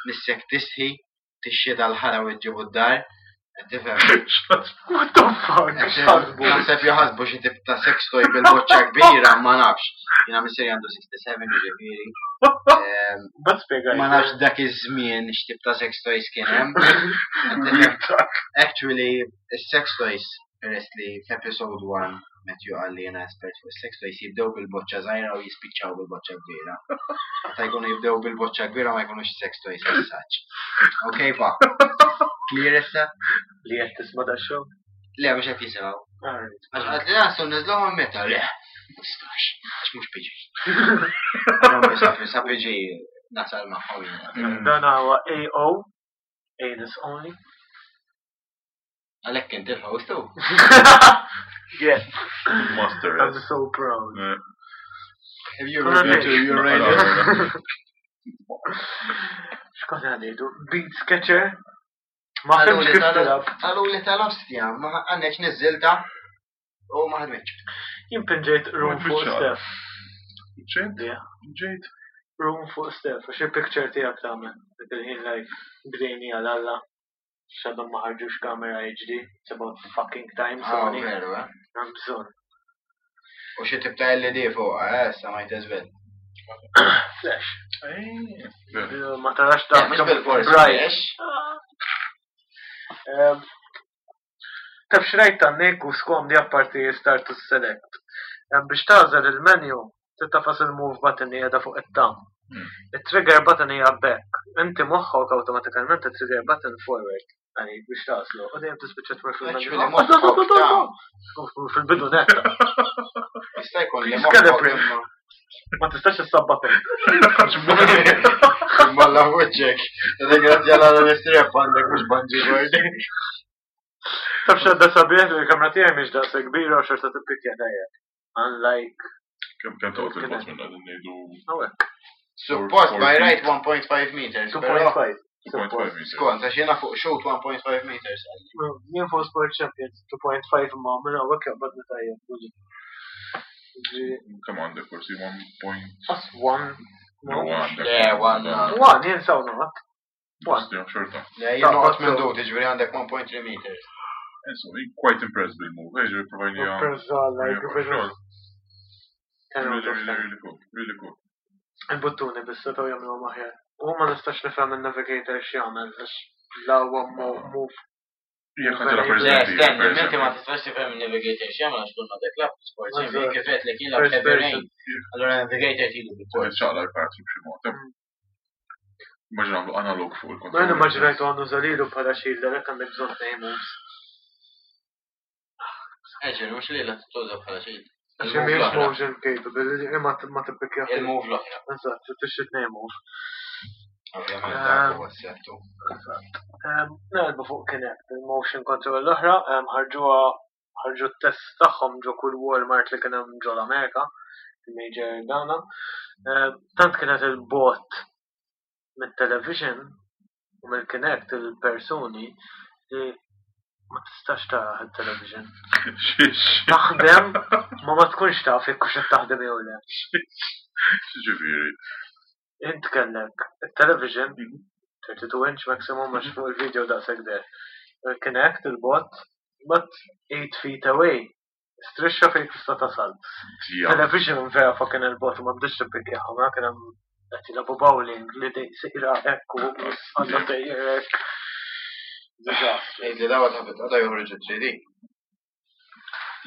nissek tisħi, tixxi dal-ħara u ġġibu d-dar, qed tifhem. What the fuck? X'ħasbu? Naħseb jaħasbu xi tip ta' sex toy bil-boċċa kbira, ma nafx. Jiena missieri għandu 67 ġifieri. Ma spjegajt. Ma nafx dak iż-żmien x'tip ta' sex toys kien hemm. Actually, is-sex toys Peress li f'episode 1 Matthew qal li jena espert fuq sex toys jibdew bil-boċċa żgħira u jispiċċaw bil-boċċa kbira. Meta jkunu jibdew bil-boċċa kbira ma jkunux sex toys as such. Ok, pa. Clear issa? Li qed tisma' da show? Le, mhux qed jisimgħu. Alright. Għax qalt li nasu niżluhom meta le. Ma tistax, għax mhux PG. Allora, Sa PG nasal magħhom jiena. Dan huwa AO, anus only. Għalhekk inti l-host tu. Yes, Master. I'm so proud. Have you ever been to Uranus? X'konna ngħidu? Beat Sketcher? Ma fhimx kif tilab. Għalu li tal-ostja, ma għanneċ nizzilta u ma ħadmitx. Jien pinġejt room fuq Biċċa. Steph. Ġejt? Yeah. Ġejt? Room fuq Steph, għax il-picture tiegħek tagħmel. Dik il-ħin like bdejni għal Alla. X'għadhom ma ħarġux kamera HD. It's about fucking time, Ah, Sony. veru, eh? Hemm bżonn. U xi tip ta' LED fuq, eh, issa ma jtezbel. Flash. Veru. Ma tarax ta' Mhux bil-forsi. bright. flash. Taf xrajt ta' Nick u skomdi apparti start to select. Biex tażel il-menu, titafas il-move button li qiegħda fuq it-tam. Il-trigger button hija back. Inti moħħok awtomatikament il-trigger button forward. Għalik biex tażlu. U dejjem tispiċċa tmur Actually, fil-menu. moħħok ta' Fil-bidu netta. Jista' jkun li Please moħħok calibrate. imma. Ma tistax issabbatom. Malla fuċċek. Ringrazzja l-għal għandek mhux bungee cord. Taf xadda sabiħ li l-kamra tiegħi mhix daqs kbira u xorta tippikja dajjek. Unlike Kemm kemm toqgħod il-bot minn qegħdin ngħidu hawnhekk. Suppost by right 1.5 meters, però 2.5. 2.5 meters. skont, għax jiena fuq shoot 1.5 meters. Jien fuq Sport Champions 2.5 ma minn hawnhekk jaqbadni tajjeb. Ġifieri, Kemm għandek forsi 1 point. As one. No, għandek. Le, one, One, jien saw noqgħod. One. Ostja, xorta. Le, jien noqgħod minn dut, jiġifieri għandek 1.3 meters. Insomma, jien quite impressed bil-move. Ejġu, provajnija. Perza like Really, 10 out of really, 10. really cool. Really cool. Il-buttuni biss setgħu jagħmluhom aħjar. U ma nistax nifhem in-navigator x'jagħmel għax la huwa move. Jekk għandha Le, Le, stenni, inti ma tistax tifhem il-navigator x'jagħmel għax kull ma dak lab sport Eżatt. kif qed lek jilgħab First heavy person. rain. Allura navigator tilu bil-port. ċaqla l-pattern b'xi mod. Immaġina għamlu analog fuq il-kontroll. Ma jien immaġinajtu għandu żalilu bħala shield għalhekk għandek bżonn tnejn moves. Eġer, mhux li la tuża bħala xejn. Għax mhijiex motion capable, imma ma tippikja. Il-move l-oħra. Eżatt, tixtri tnejn move. Ovvjament dak huwa s-settu. Nelbu fuq Kinect, il-motion control l-oħra, ħarġuha ħarġu t-test tagħhom ġo kull Walmart li kien hemm ġo l-Amerika, il-major dana. Tant kienet il-bot mit-television u mill-Kinect il-persuni li ma tistax tara il-television. Xiex. Taħdem, ma ma tkunx taf jekk hux qed taħdem jew le. Ġifieri. Int kellek il-television 32 inch maximum għax fuq il-video daqshekk der. Il-Kinect, il-bot, but 8 feet away. Strisċa fejn tista' tasal. Tija. Television vera fucking il-bot u ma bdietx tippikjaha, ma kien hemm qed jilagħbu bowling li dej sejra hekk u għandha sejjer hekk. Disaster. Ejt li dawa ta' għada joħroġu 3D.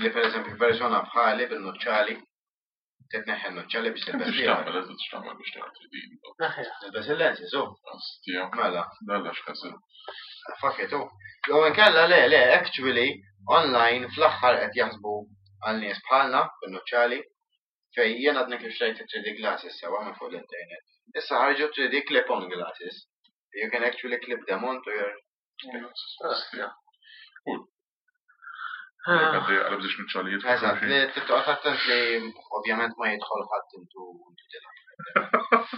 Li per eżempju persona bħali bil-nuċċali, titneħħi n-nuċċali biex Kemm tilbes tix ieħor. tagħmel, eżatt x'tagħmel biex tagħmel 3D. Naħja. Tilbes il-lensi, so, Ostja. mela, Dalla x'ħasel. fuck it, u. Jew inkella le, le, actually, online fl-aħħar qed jaħsbu għal nies bħalna bil-nuċċali, fej jien għadni kif xtrajt 3D glasses sewa minn fuq l-internet. Issa ħarġu 3D clip-on glasses. You can actually clip them onto your Ostja. Jekk għaddej għalab biex nuċċalijiet. Eżatt, li titqgħod attent li ovvjament ma jidħol ħadd intu intu tilgħab.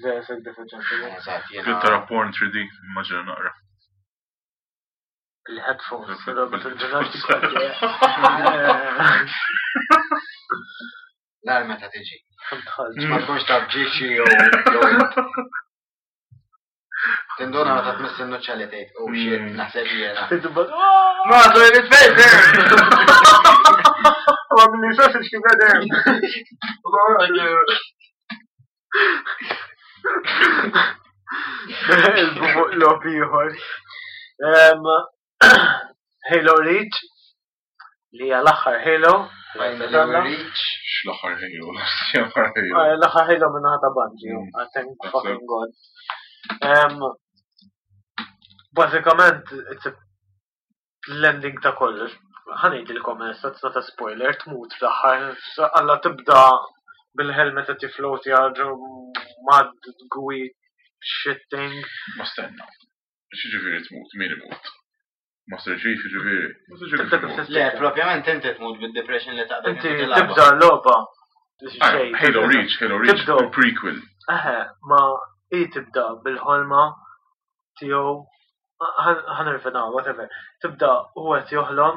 Vera sekk differenti. Eżatt, Kien jiena. tara porn 3D, immaġina naqra. Il-headphones, però bil-ġurnal Nar meta tiġi. Tħalġ. Ma tkunx taf ġiexi jew jew int. Tinduna meta tmiss in-nuċċa li tgħid, oh shit, naħseb jiena. Tidubba, Ma toilet paper! Ma minni sausage kif għadem. Il-bufuq lop ieħor. Halo Reach. Li hija l-aħħar Halo. Finally we reach. X'l-aħħar Halo, l-aħħar Halo. Ah, L-aħħar Halo minnaħa ta' Bungie, ah, thank That's fucking god. Bażikament, it's a l-ending ta' kollox. Ħa ngħidilkom issa, it's not a spoiler, tmut fl-aħħar, alla tibda bil-helmet qed jifloti ġo mad gooey shit thing. Ma stenna. X'jiġifieri tmut, min imut? Master Chief jiġifieri. Master Chief Tibda kif imut. Le, tispiċċa. propjament inti tmut bid-depression li taqbel. Inti tibda l-logħba. Ah, Xejn, Halo Reach, Halo Reach, Tibda. il-prequel. Eħe, ma i tibda bil-ħolma tiegħu ħanirfina, whatever. Tibda u qed joħlom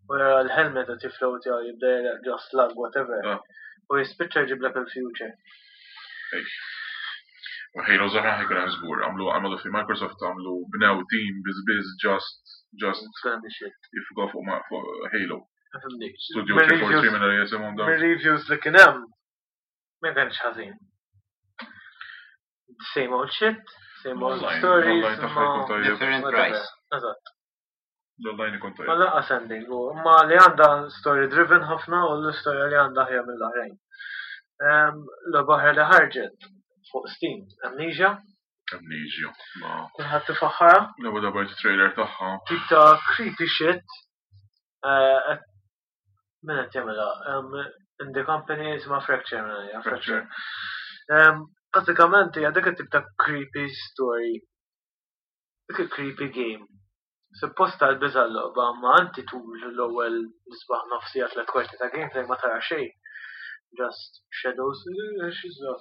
u jara l-helmet qed jiflowtja jibda jara ġo slug, whatever. Ah. U jispiċċa jġiblek il-future. Ej. U Halo Zahra ħajkun hemm żgur, għamlu għamlu fi Microsoft għamlu bnew team biz biz just It's gonna be shit. jiffukaw fuq fuq Halo. Fimni. Studio Mir 343 reviews- minn li jisimhom dawn. Mir-reviews li kien hemm ma kienx ħażin. Same old shit, same old Online, stories, online tagħha ma jkun tajjeb. Different whatever. price. Eżatt. L-online ikun Ma tajjeb. lanqas ending, u ma li għandha story driven ħafna u l-istorja li għandha ħja mill-oħrajn. L-oħra li ħarġet fuq Steam, Amnesia, Amnesia. Ma kulħadd tifaħħarha, l-ewwel darba rajt trailer tagħha. tip ta' creepy shit. Eh, Min qed jagħmilha? In the company isma' Fracture, mela, hija Fracture. Bażikament hija dik it-tip ta' creepy story. Dik il-creepy game. Suppost tal-biża' l-logħba, ma anti tul l-ewwel nisbaħ nofsija tliet kwarti ta' gameplay ma tara xejn. Just shadows, eh, x'iżda.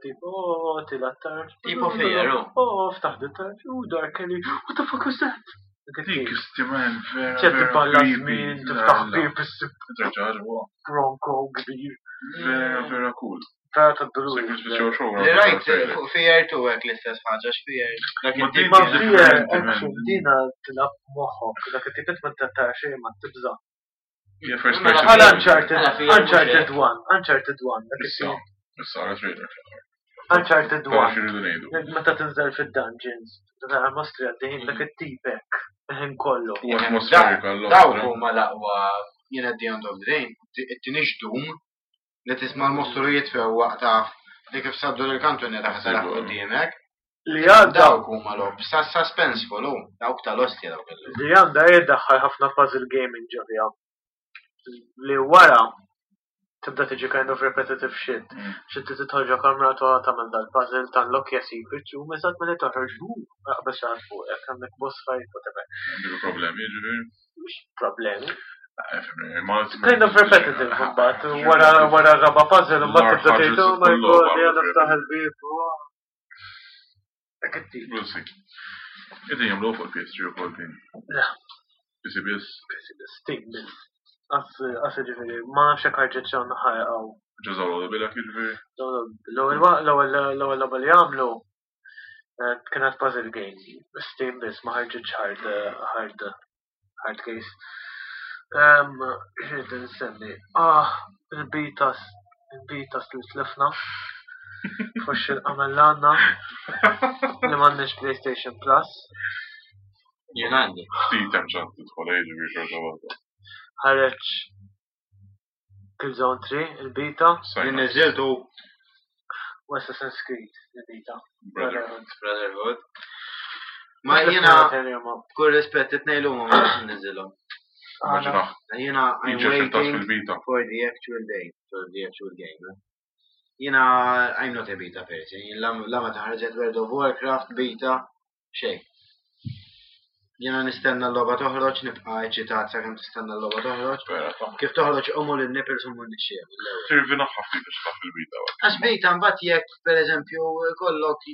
Tipo, oh, tila t-tarġ. Tipo Fear, oh. Oh, ftaħ dit-tarġ, oh, dark alley, what the fuck was that? Dik Dik it-tip. istimen vera. ċed vera tiballa creepy. żmien, tiftaħ La, la. bib issib Terġa' ġewwa. bronco kbir. Vera vera cool. Vera tad-dulur. Sekk nispiċċaw xogħol. Li rajt fuq Fear 2 hekk l-istess ħaġa x'Fear. Dak Ma it-tip din Ma kien- Fear, differenti, man. action, dina tilab moħħok, dak it-tip ma tara xejn ma tibża. Hija first Mela, person. Bħal Mela, Uncharted, Fear mhux Uncharted hekk. 1, Uncharted 1, dak Issa, it-tip. issa għara trailer fl-aħħar. Uncharted Tara 1. x'iridu ngħidu. Meta tinżel fid-dungeons, tara mostri għaddejjin dak it-tip hekk, il-ħin kollu. U atmosferika l Dawk huma l-aqwa jien at the end of the day, it-tinix dum li tisma' l-mostru jitfew waqt taf li kif saddu l-kantu nera ħsaraħ quddiemek. Li għadda, Dawk huma lob, suspenseful hu, dawk tal-ostja dawk il li għandha jiddaħħal ħafna puzzle gaming ġo fiha. Li wara tibda tiġi kind of repetitive shit. Xi inti tidħol ġo kamra toqgħod tagħmel dal-puzzle tanlokja secret u eżatt milli toħroġ hu aqbeż xi ħadd fuqek għandek boss fight whatever. Għandu problemi, ġifieri. Mhux problemi. Eh, Ma Kind of repetitive imbagħad wara wara raba puzzle imbagħad tibda tgħid oh my god jien niftaħ il-bieb. oh." Dak it-tip. We'll see. Qegħdin jagħmlu fuq il-PS3 ukoll din. Le. PC biss, Steam biss. As ġifieri, ma nafx hekk ħarġet xi ħarqaw. ġeżaw l bilek jiġifieri. L-ewwel logħba li għamlu eh, kienet puzzle game. Steam biss ma ħarġitx hard hard hard case. Xrid nsemmi. Ah, il-betas, il-betas li tlifna. Fux il-qamel għandna li m'għandniex PlayStation Plus. Jien għandi. Ftit hemm ċans tidħol eh, jiġifieri xorta waħda. Ħareġ Killzone 3, il-beta, Jien Sign up, niżiltu u Assassin's Creed, il-beta. Brotherhood. Brotherhood. Ma jiena b'kull rispett it-tnejn huma ma nix niżilhom. Immaġina, Jiena I'm jiġi xintas waiting fil-bita. for the actual day, for the actual game. eh. Jiena I'm not a beta person. Jien la la ma taħarġet World of Warcraft beta xejn. Jiena nistenna l-logħba toħroġ, nibqa' eċitat sakemm tistenna l-logħba toħroġ. Vera, ta' Kif toħroġ umu lin-nipples umu nixxieq mill-ewwel. Tirvina ħafna biex taf il-bita. Għax beta mbagħad jekk pereżempju kollok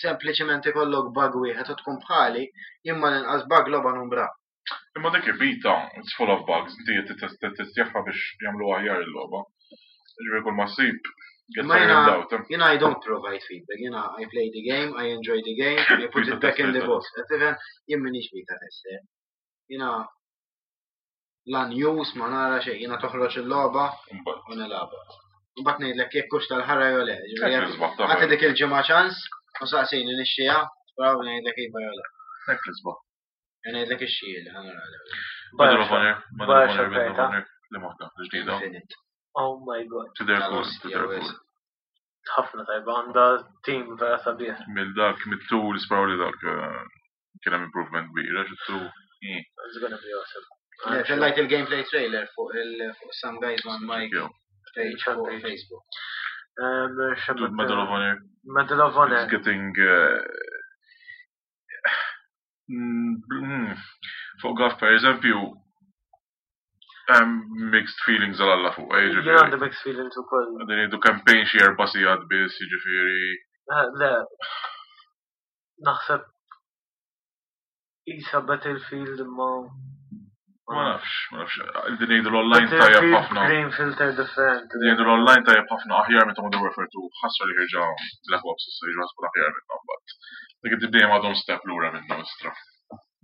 sempliċement ikollok bug wieħed u tkun bħali, imma l-inqas bug logħba numbra. Imma dik il-bita, it's full of bugs, inti qed testjaħħa biex jagħmlu aħjar il-logħba. Ġifieri kull ma ssib, get Ma jiena- ironed out. eh. Jiena I don't provide feedback, jiena I play the game, I enjoy the game, I put it back in the box. Qed tifhem jien m'iniex beta tester. Jiena la news ma nara xejn, jiena toħroġ il-logħba Imbagħad. u nilagħbha. Mbagħad ngħidlek jekk hux tal-ħara jew le. Ġifieri Hekk jekk l-isbaħ ta' Għati dik il-ġimgħa ċans u saqsini nixxieha, probabbli ngħidlek iva jew le. Hekk l-isbaħ. Jien ngħidlek ix-xhiel, ħa nara l-ewwel. Medal of Honor, Medal of Honor, Bioshock Medal of rajta. Honor. Li waħda, l-ġdida. Infinite. Oh my god. Tidher cool, Tal-ostja, tidher wis. cool. Ħafna tajba, għandha team vera sabiħ. Mill dak, mit-tu li sparaw li dak eh, kien hemm improvement kbir, għax it-tu. eh, It's gonna be awesome. Le, Tellajt il-gameplay trailer fuq il fuq Some Guys One Mic jew. page fuq Page. Facebook. Dude, Medal of Honor. Medal of Honor. It's getting fuq gaf per eżempju hemm mixed feelings għal alla fuq, eh, Jien ġifieri. għandi mixed feelings ukoll. Qegħdin jgħidu campaign xi erba' sigħat biss, jiġifieri. Eh, Le, naħseb isa Battlefield imma. Ma nafx, ma nafx. Qegħdin jgħidu l-online tajjeb Battlefield ħafna. green filter different. Qegħdin jgħidu l-online tajjeb ħafna aħjar minn ta' Modern Warfare 2. Ħasra li ħirġa Black Ops issa jiġu ħasbu aħjar minnhom, but dik id-dejjem għadhom step lura minnhom istra.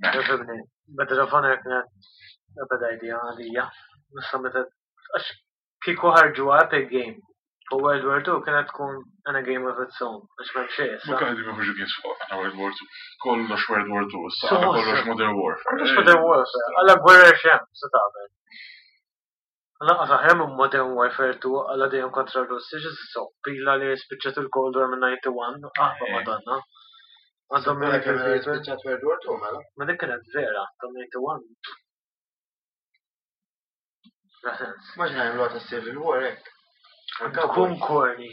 Meh. Ifhimni, Medal of Honor kienet a bad idea għalija. Issa meta għax kieku ħarġu Epic Game fuq World War II kienet tkun in a game of its own, għax m'hemm xejn Ma issa. kien qegħdin joħorġu games fuq għandna World War 2. Kollox World War 2, issa So għandna kollox awesome. Modern Warfare. Kollox Eh, Modern Warfare, għalla gwerra xem, se tagħmel. Lanqas aħjar minn Modern Warfare 2 għalla dejjem kontra r-Russi, x'issa pila li spiċċat il-Cold War minn 91, aħba Eh. Madonna. Għandhom Mela kemm military people. spiċċat World War II mela. Ma dik kienet vera, ta' 91. La sens. Maġna jagħmlu ta' Civil War hekk. Tkun corny.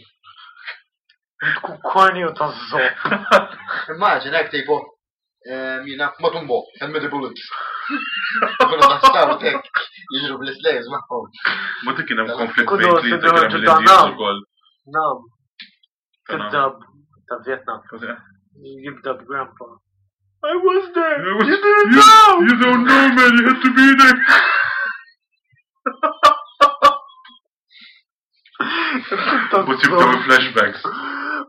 Tkun corny u ta' zopp. Immaġina hekk tipo jina matumbo, and the bullets. Kunu ta' sawt hekk jiġru bl-slaves magħhom. Ma dik kien hemm konflitt Kudu bejn tlieta kien hemm sidru l-Indians ta' ukoll. Nam, Ta' nam. tibda ta' Vietnam. Cos'è? Jibda b'grandpa. I was there! You You didn't know! You don't know, man, you had to be there. But jibdew il-flashbacks.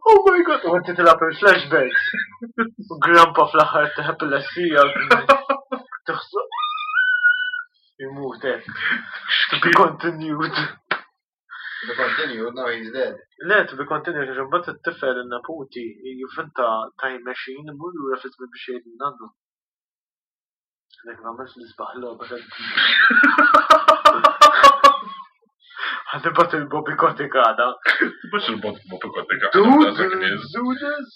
Oh my god, u inti tilab il-flashbacks. U grandpa fl-aħħar teħeb il-essija. Taħseb. Imut hekk. To be continued. To be continued, now he's dead. Le, to be continued, għax imbagħad it-tifel in-neputi jivvinta time machine imur lura fi żmien biex jgħid nannu. Dik m'għamilx l-isbaħ logħba Ħanibat il-Bobby Kotick għada. Tibax il-bot Bobby Kotick. Dude, Dak nies. dudes.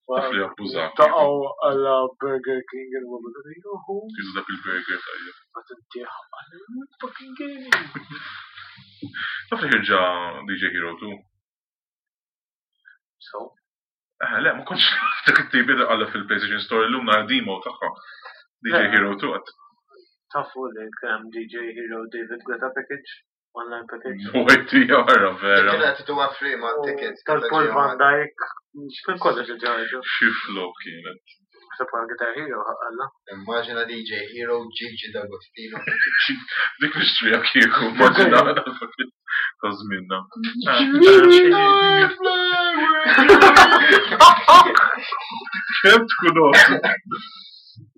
Taf li abbużat. Taqgħu għala Burger King il-Bobby Kotick. Juhu, Jużu dak il-burger tajjeb. ma tintieħ għal fucking gaming. Taf li ħirġa DJ Hero 2. So, Eh, le, ma kontx dak it-tibi da għalla fil-PlayStation Store l-lum nar demo tagħha. DJ Le. Hero 2 għat. tafu li kemm DJ Hero David Guetta package, online package. No idea, vera, vera. Kienet tuwa free ma' tickets. Tal-Paul Van Dyke, xkien kollox il-ġarġu. Xi flop kienet. Ħseb għal Guitar Hero għalla. Immaġina DJ Hero Gigi D'Agostino. Dik nixtrija kieku, maġina ta' żminna. Kemm tkun awesome.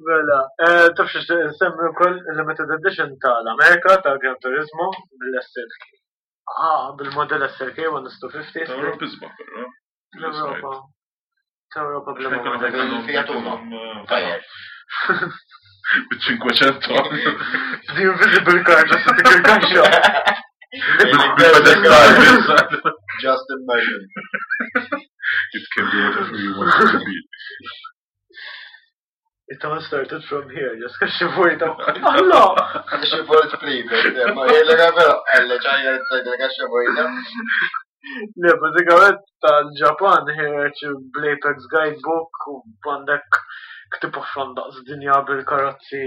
Mela, eh, taf xiex nsemmi wkoll il-limited edition tal-Amerika tal-Gran Turismo bil-SLK. Ah, bil-modell SLK 150. Ta' Europa isbaħ, però. L-Europa. Ta' Europa bil-modell. Fiat Uno. Tajjeb. Bil-500. The Invisible Car, just dik il-kaxxa. Bil-pedestal. Just imagine. It can be whatever you want it to be. It all started from here, just kaxxa vojta. Allah! Xi vojt prepaid, ma jgħidlek vera, għalla ċajja tgħidlek għax vojta. Le, bazzikament tal-Ġapan ħireġ bl-Apex Guidebook u għandek ktib oħran daqs dinja bil-karozzi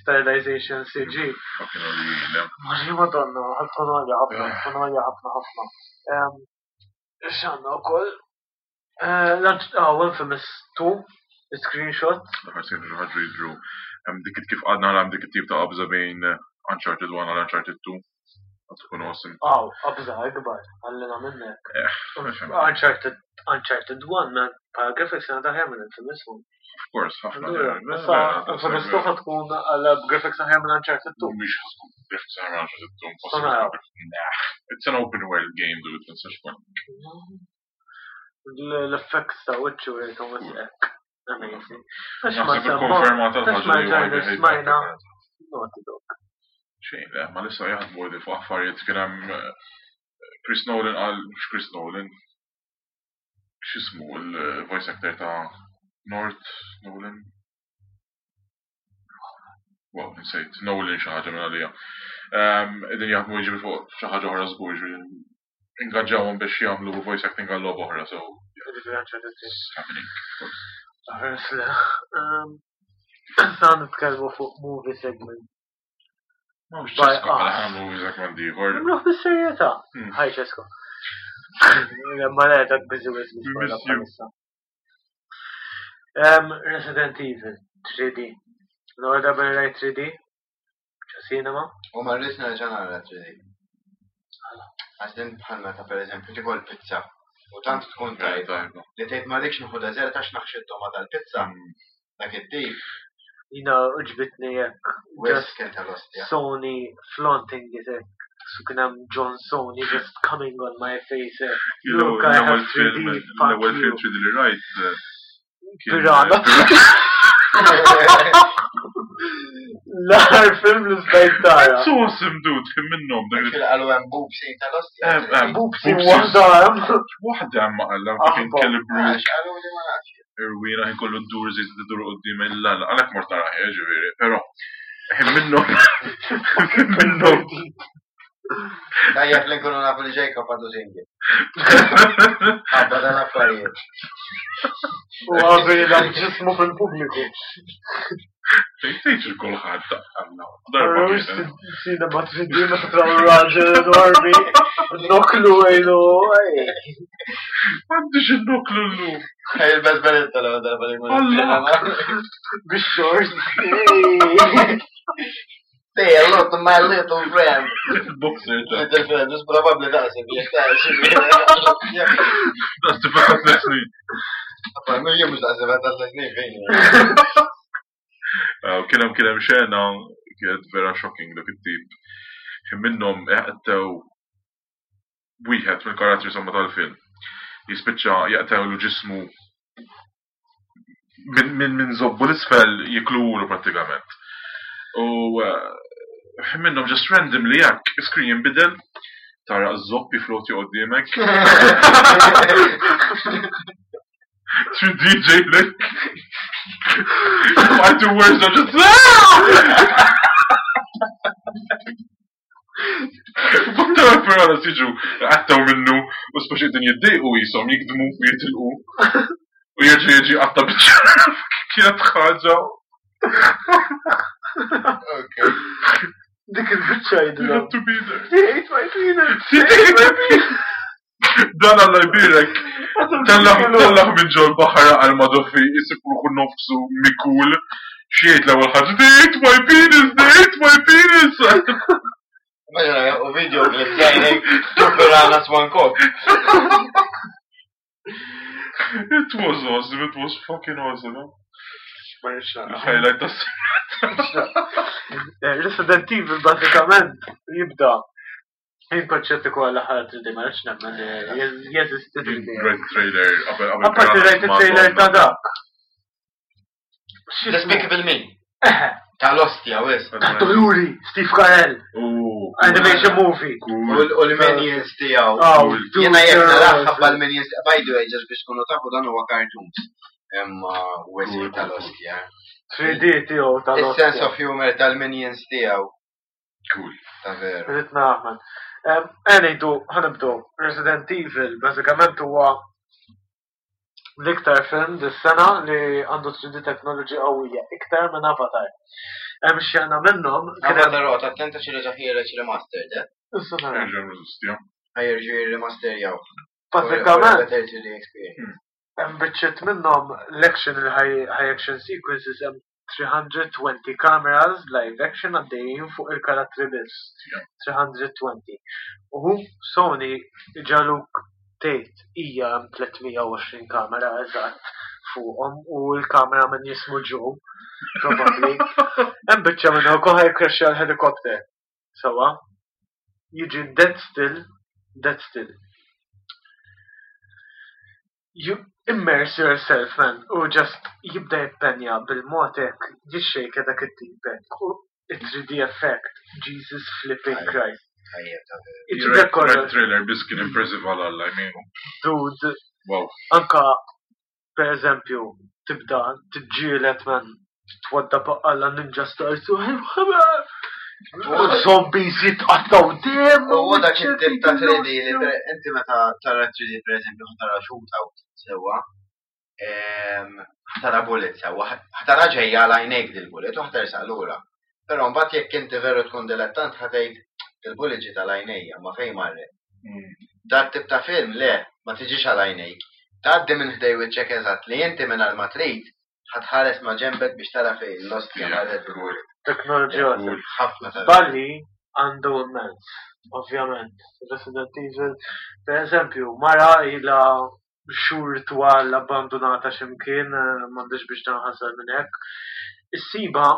stylization CG. Fucking għalina. Maġi madonna, ħatkun għalja ħafna, ħatkun għalja ħafna ħafna. Xanna u koll. Infamous 2, screenshot. L-aħħar sejn ħaġu jidru. Hemm dik kif għadna hemm dik it-tip ta' qabża bejn Uncharted 1 għal Uncharted 2. Għad tkun awesome. Aw, qabża ikbar, għallina minnek. Of Uncharted, Uncharted 1, man, bħala graphics għana taħjar minn Infamous 1. course, ħafna. Allura, Issa, Infamous 2 ħad tkun għala graphics aħjar minn Uncharted 2. Mhix tkun graphics aħjar minn Uncharted 2. Sona. Nah, it's an open world game, dude, tinsax kun. L-effects ta' wiċċu jgħidhom ek. Amazing. Għax ma Naħseb semma, ikkonfermata għax ma l-ħaġa li ġarni huwa smajna. Naughty Dog. Xejn, le, ma lissa jaħdmu li fuq affarijiet kien hemm Chris Nolan qal mhux Chris Nolan. X'ismu il-voice actor ta' North Nolan? Wow, nsejt, Nolan xi ħaġa minn għalija. Qegħdin jaħdmu jiġri fuq xi ħaġa oħra żgur, jiġifieri ingaġġawhom biex jagħmlu voice acting għal logħba oħra, so Jiġifieri Uncharted 3. it's happening, of course. Ħares le. Issa nitkellmu fuq movie segment. Mhux By Ċesko bħala us. ħa movie segment ieħor. Nagħmluh bis-serjetà. Hi Ċesko. Ma le dak busy with We miss you. bħalissa. Resident Evil 3D. L-ewwel darba li rajt 3D ġo cinema. U ma rridx nerġa' nara 3D. Għax din bħal meta pereżempju tikol pizza u tant tkun tajba Tajba. li tgħid ma rridx nieħu deżert għax naħxi t-toma tal-pizza. Dak it-tip Jina uġbitni hekk. wis Just kien tal-ostja. Sony flaunting it hekk. So kien hemm John Sony just coming on my face hekk. Look, I have L-ewwel film, 3D, fuck l-ewwel film you. 3D li rajt. kien, Pirana. L-aħħar film li stajt tara. That's awesome, dude, kien minnhom dak li Kien qalu hemm boob scene tal-ostja. Boob Boobs waħda hemm. Waħda hemm qalla kien Aħba. Kelly Brook, Għax qalu li ma nafx. irwina ħin kollu ddur żejt iddur qudiem il-lalla. Għalhekk mort naraħ, ġifieri, però ħin minnhom ħin minnhom Tajjeb li nkunu nafu li Jacob għadu single. Għabba dan affarijiet. U għabi l ġismu fil-pubbliku. Tgħidx il kulħadd Alla. Darba Arrux kienet. cinema 3D meta traw raġel enormi. Noklu għajnu. M'għandix innoklu llum. Il-bes beretta l-ewwel darba li nkunu Allah. Bix-shorts. Say hello to my little friend. Il-boxer ta' Little friend, just probably daqseb, jek daqseb. daqs tifel ta' tliet snin. Jien mhux daqseb ta' tliet snin fejn. Kien hemm xena kienet vera shocking dak it-tip. Ħin minnhom jaqtew wieħed mill-karattri somma tal-film. Jispiċċa jaqtewlu ġismu minn zobbu l-isfel jiklulu prattikament. U ħin minnhom just randomly hekk screen jinbidel tara z-zopp jifloti qoddiemek. 3D lek. My two words are just Baktar ferrara siġu għattaw minnu u speċi din jiddejqu jisom jikdmu u jitilqu u jerġa' jiġi għatta biċċa kienet ħaġa Okay. Dik il-biċċa you jidilhom. have to be there. They ate my penis. They ate my penis. Dan Alla jbirek Tellaħ minn ġol baħar għal madoffi jisib ruħu nofsu mikul xiejt l-ewwel ħaġa they ate my penis they ate my penis Immaġina, u video clip ġajnek, Piranha Swan Cock. It was awesome, it was fucking awesome. huh? Ma nix nara. Il-highlight tas Resident Evil bażikament jibda Jien konċetti kollha l-aħħar 3D ma rridx nemmen li jeżisti 3D. Red trailer qabel qabel Apparti rajt it-trailer ta' dak. X'ismu? Despicable Me. Tal-ostja, wis. Ta' Doluri, Steve Carell, animation movie. Cool. U l-minions tiegħu. Oh, dude, Jena jek they're naraħ awesome. l-minions, by the way, just biex tkunu tafu dan huwa cartoons. Imma wis Cool, cool, tal-ostja. 3D tiegħu tal-ostja. Is-sense of humor tal-minions tiegħu. Cool. Ta' veru. Rrid naraħ, man. Ngħidu, ħanibdew. Resident Evil bażikament huwa l-iktar film dis-sena li għandu 3D technology qawwija, iktar minn Avatar. Hemm xena minnhom kien hemm Għamma rota, attenta xi reġa' ħiereġ remastered, eh? Issa nara. Nerġa' nirreżistja. Ħajerġu jirremasterjaw. Bażikament Better 3D experience. hemm biċċiet minnhom l-action il-high high action sequences hemm 320 cameras live action għaddejjin fuq il-karattri biss. 320. U Sony ġaluk tgħid hija hemm 320 kamera eżatt fuqhom u l-kamera minn jismu Joe probabbli. Hemm biċċa minnhom ukoll ħajkrexxa l-helikopter. Sawa. Jiġi dead still, dead still. You immerse yourself, man, u just jibda jippenja bil-mod hekk, jixxejka dak it-tip hekk. U Il-3D effect, Jesus flipping Christ. Tajjeb, ta' Iġibek kollox, Red trailer biss kien impressive għal Alla, I mean, dude, wow. anka, per eżempju, tibda tiġġielet man twadda alla ninja stars u zombies jitqattaw dem. U dak it-tip ta' 3D li inti meta tara 3D per eżempju ħatara shootout sewwa, ħatara bullet sewwa, ħatara ġejja għal għajnejk dil-bullet u ħatersaq lura. Però mbagħad jekk inti veru tkun dilettant ħatgħid il-bullet ġiet għal għajnejja ma fejn marret. Dat tip ta' film le, ma tiġix għal għajnejk. Tgħaddi minn ħdej wiċċek eżatt li inti minn ma trid ħatħares ma' ġembek biex tara fejn l-ostja marret bil-bullet. Teknoloġija. Cool. Ħafna ta' Balli għandu immens, ovvjament. Resident Evil, per eżempju, mara ila xhur twal abbandonata x'imkien, m'għandix biex danħasel minn hekk. Issiba,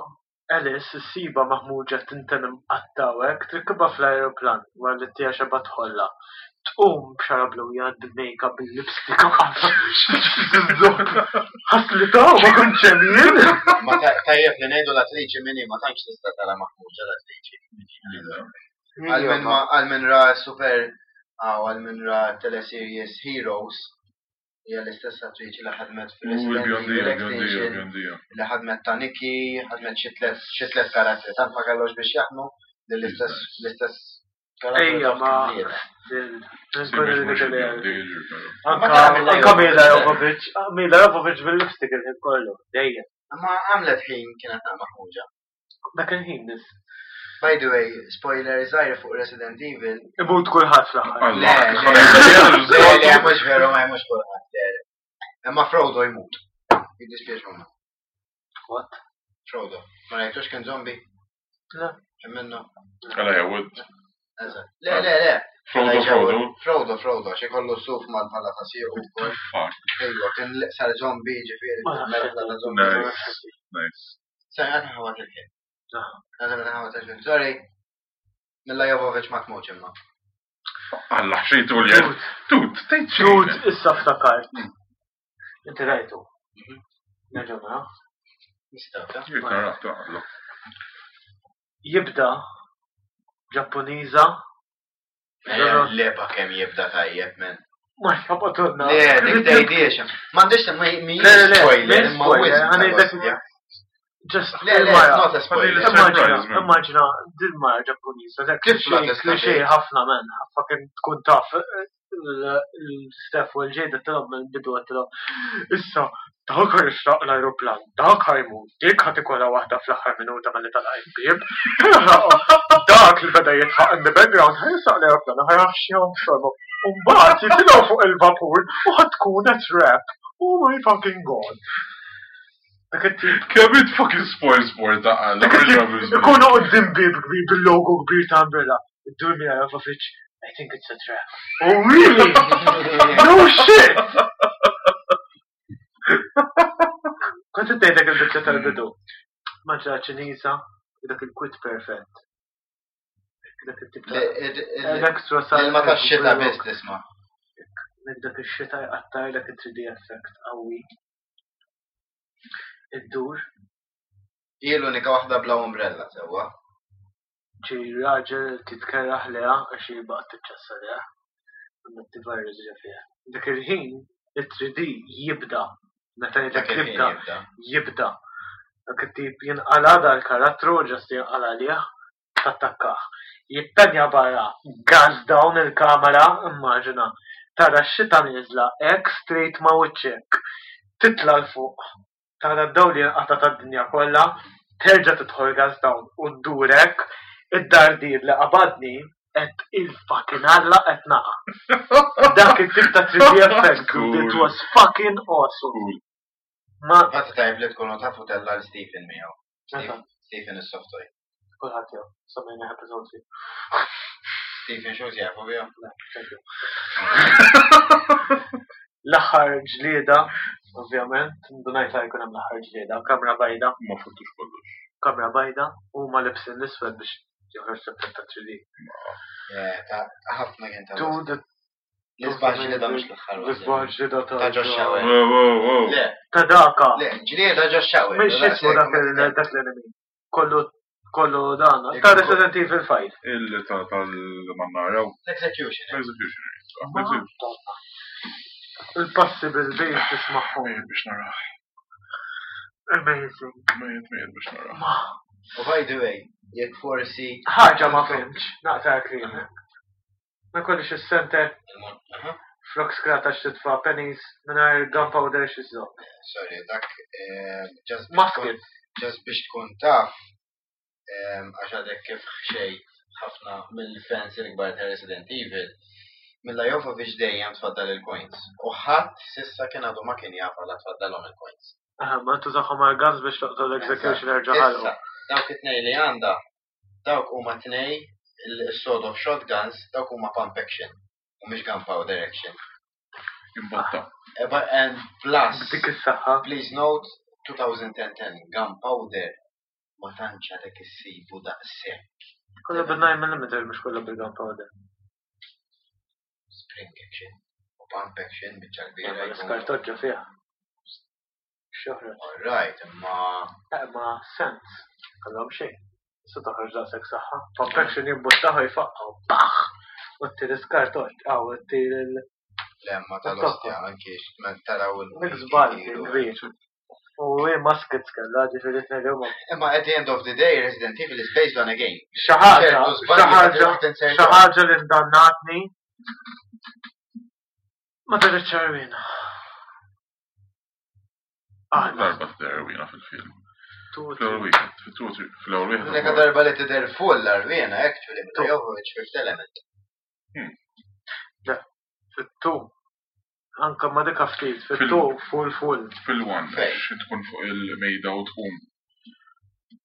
Alice, issiba maħmuġa tinten imqatta' hekk, trikibha fl-aeroplan wara li tija xeba tħolla. Tqum b'xara bluja, bil-makeup, bil-lipstick, ħaslita ma kontx hemm jien. Ma tajjeb li ngħidu l-attriċi minni ma tantx tista' tara maħmuġa l-attriċi. Għal min ma- għal min ra super għaw għal min ra teleseries Heroes hija l-istess attriċi li ħadmet U fil-Resident il-bjondija, Evil il-bjondija, Extinction, il-bjondija. li ħadmet ta' Nikki, ħadmet xi tliet karattri, tant ma kellhomx biex jaħdmu li l-istess l-istess karattri Ejja, taħt ma tlieta. still. Si, mhux il-bjondija, ġifieri. Anka Ma tara Mila anka Mila Jovovich. Jovovich, Mila Jovovich bil-lipstick il-ħin kollu, dejjem. Ma għamlet ħin kienet naqra maħmuġa. Dak il-ħin biss. By the way, spoiler żgħir fuq Resident Evil, Imut kulħadd fl-aħħar. Le, Alla, le, le, le, mhux veru, ma mhux kulħadd, le, le. Imma Frodo jmut. Jiddispjaċuna. What? Frodo. Ma rajtux kien zombie? Le. Kien minnu. Għala jawud. Eżatt. Le, le, le. Frodo, Frodo. Frodo, Frodo, xi kollu suf mal-pala ta' siequ wkoll. Fuck. Ejwa, kien sar zombie ġifieri, Ma nafx. mela ta' zombie. Nice. Nice. Sorry, għad ħawat il-ħin. Ah. Għad ħawat il-ħin. Sorry. Milla Jovovich ma tmutx imma. Alla, xejtu li għed. Dude, Tut, tgħid xejn. dude, issa ftakart. Inti rajtu. Nerġgħu naraw. Nistgħu, ta' Jek nara, ta' alla. Jibda Ġappuniża Leba kemm jibda tajjeb, men. ma xabatonna. Le, dik tgħidiex. M'għandix ma Le, le, le, spoiler, mhijiex imma spoiler, wisq għana ta' jibda- ostja. Just Le, le, it's il-mara. not a spoiler. Immaġina, Immaġina, Surprise, man. immaġina, din mara Ġappuniża, dak Tifla cliché tista' cliché tgħid. ħafna men, fucking tkun taf l-Steph u l-ġejda tilhom mill-bidu tilhom. Issa, dak ħajxraq l-ajruplan, dak ħajmut, dik ħad ikollha waħda fl-aħħar minuta malli talaq il-bieb. Dak li beda jitħaq in the background ħajsaq l-ajruplan u ħajraxxihom xorbu. U mbagħad jitilgħu fuq il-vapur u ħad tkun a trap. Oh my fucking god. Dak it-tip Kemm it fucking spoil sport ta' alla. Dak it-tip ikunu qudiem bib kbir bil-logo kbir ta' Umbrella. Iddur Mila Jovovich, I think it's a trap. Oh really? No shit! Kont tgħidlek il-biċċa tal-bidu. Maġra Ċiniża, dak il-kwit perfett. Dak it-tip ta' Electro Il-ma ta' xita biss tisma'. Dak ix-xita jqattar dak it-3D effect qawwi. Iddur, Hi l-unika waħda bla umbrella sewwa. ġi raġel titkerraħ leha għax hi baqgħet tiċċassa leha. Għandha t-virus ġa fiha. Dak il-ħin it-3D jibda. Meta Dak jgħidlek il-ħin jibda, jibda. jibda. Dak it-tip jinqala dal-karattru, ġast jinqala lih, tattakkah. Jittanja barra, gas down il-kamera, immaġina. Tara x-xita nieżla, hekk straight ma' wiċċek. Titla' l fuq. Tara d-dawl jinqata' tad-dinja kollha, terġa' tidħol gas down u ddurek, id-dardir li qabadni qed il-fucking Alla qed naqa'. Dak it-tip ta' 3D effect, Cool. it was fucking awesome. Cool. Ma Fatt tajb li tkunu tafu tella l Stephen miegħu. Meta? Stephen is-software. Kulħadd jew, semmejna episode fi. Stephen xo jafu bihom. Thank you. L-aħħar ġlieda, ovvjament, ndunajt li jkun hemm l-aħħar ġlieda, kamra bajda, Ma fottux kollox. kamra bajda, u ma libsin l-iswed biex joħroġ l-effett ta' 3D. Eh, ta' ħafna kien ta' Dude, L-isbaħ ġlieda mhux l-aħħar waħda. l-isbaħ ġlieda ta' Ta' Josh Shower. Wow, wow, wow. Le, Ta' daka. le, ġlieda ġo shower. Mhix ismu dak dak l-enemy. Kollu Kollu dan. Ta' Resident Evil 5. Il ta' tal-mannara. L-execution. Executioner. Madonna. Il-passi bil-bejt tismaħħom. Mejjet biex naraħ. Amazing. Mejjet mejjet biex naraħ. Ma. U by the way, jekk forsi. Ħaġa ma fimx, naqta' klimek. Ma jkollix is-center Aha. flok skrata x'titfa' pennies mingħajr gunpowder x'iżżomm. Sorry, dak eh, just biex tkun- Musket. just biex tkun taf, għax għadek kif xejt ħafna mill-fans il-kbar ta' Resident Evil, Milla Jovovich dejjem tfaddal il-coins. U ħadd sissa kien għadu ma kien jaf għala tfaddalhom il-coins. Aha, ma tużahom għal guns biex toqtol l-executioner ġo ħalqu. Issa, dawk it-tnej li għandha, dawk huma tnej il-sawed off shotguns, dawk huma pump action u mhux gunpowder action. Imbotta. And plus, B'dik is-saħħa. please note, 2010 gunpowder ma tantx għadek issibu daqshekk. Kollha bil-9 mm mhux kollha bil-gunpowder. Spring action u pump action biċċa kbira. Ma jkunu. l-iskartoġġa fiha. X'joħroġ. Alright, imma Ma sens. Kollhom xejn. Issa toħroġ daqshekk saħħa. Pump action jimbuttaħu jfaqqgħu. Baħ! U ttir iskartoġġ. Aw, ttir il- lemma tal-ostja anki ma taraw il- Dik żball kbir. U hi muskets kellha, ġifieri tnejn huma. Imma at the end of the day, Resident Evil is based on a game. Xi ħaġa, Ċertu xi żbalji ma ħaġa, tridx tinsertom. xi ħaġa li ndannatni ma tridx ċarwina. Ah, Darba t-terwina fil-film. tu Fl-ewwel wieħed, fit-two, fl-ewwel wieħed. L-unika darba li tidher full l-arwina, actually, Milla Jovovich Fifth Element. fit-tu. Anka ma dik ftit, fit-tu full full. Fil-one, Fej. xi tkun fuq il-mejda u tqum.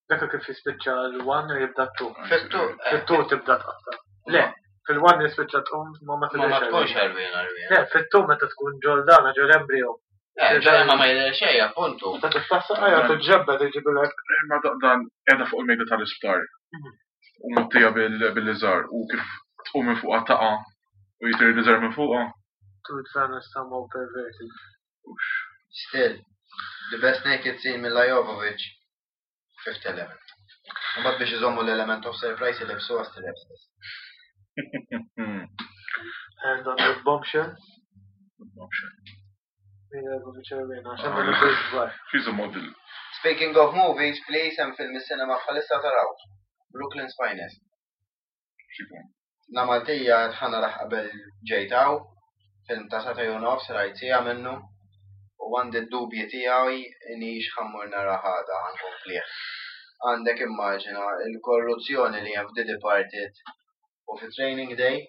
Dak kif jispiċċa l-one u jibda t-tu. Fit-tu, eh, Fit-tu tibda tqatta. Le, fil-one jispiċċa tqum ma ma Ma ma tidhirx tkunx arwina. arwina arwina. Le, fit-tu meta tkun ġoldana ġol embryo. Eh, ġo imma ma jidher xejn, appuntu. Meta tiftaħ saqajja tiġġebbed iġibilek. Ma dan qiegħda fuq il-mejda tal-isptar. U mottija bil-liżar u kif tqum minn fuqha taqa' u jitir il-liżar minn fuqha. Tu tfana somehow perverted. Ux. Still, the best naked scene Milla Jovovich, Fifth Element. Mbagħad biex iżommu l-element of surprise ilibsuha straps. And on the bombshell, Option. Mila Jovovich arwina, għax għandha l-bridge kbar. She's a model. Speaking of movies, please, hemm film is-cinema bħalissa taraw. Brooklyn's Finest. Xikun. La Maltija ħana raħ qabel ġejtaw, film ta' sata u nofs rajt sija minnu, u għandi d-dubji tiegħi inix ħammur nara ħada ħankomplih. Għandek immaġina il-korruzzjoni li hemm f'The Departed u fi Training Day,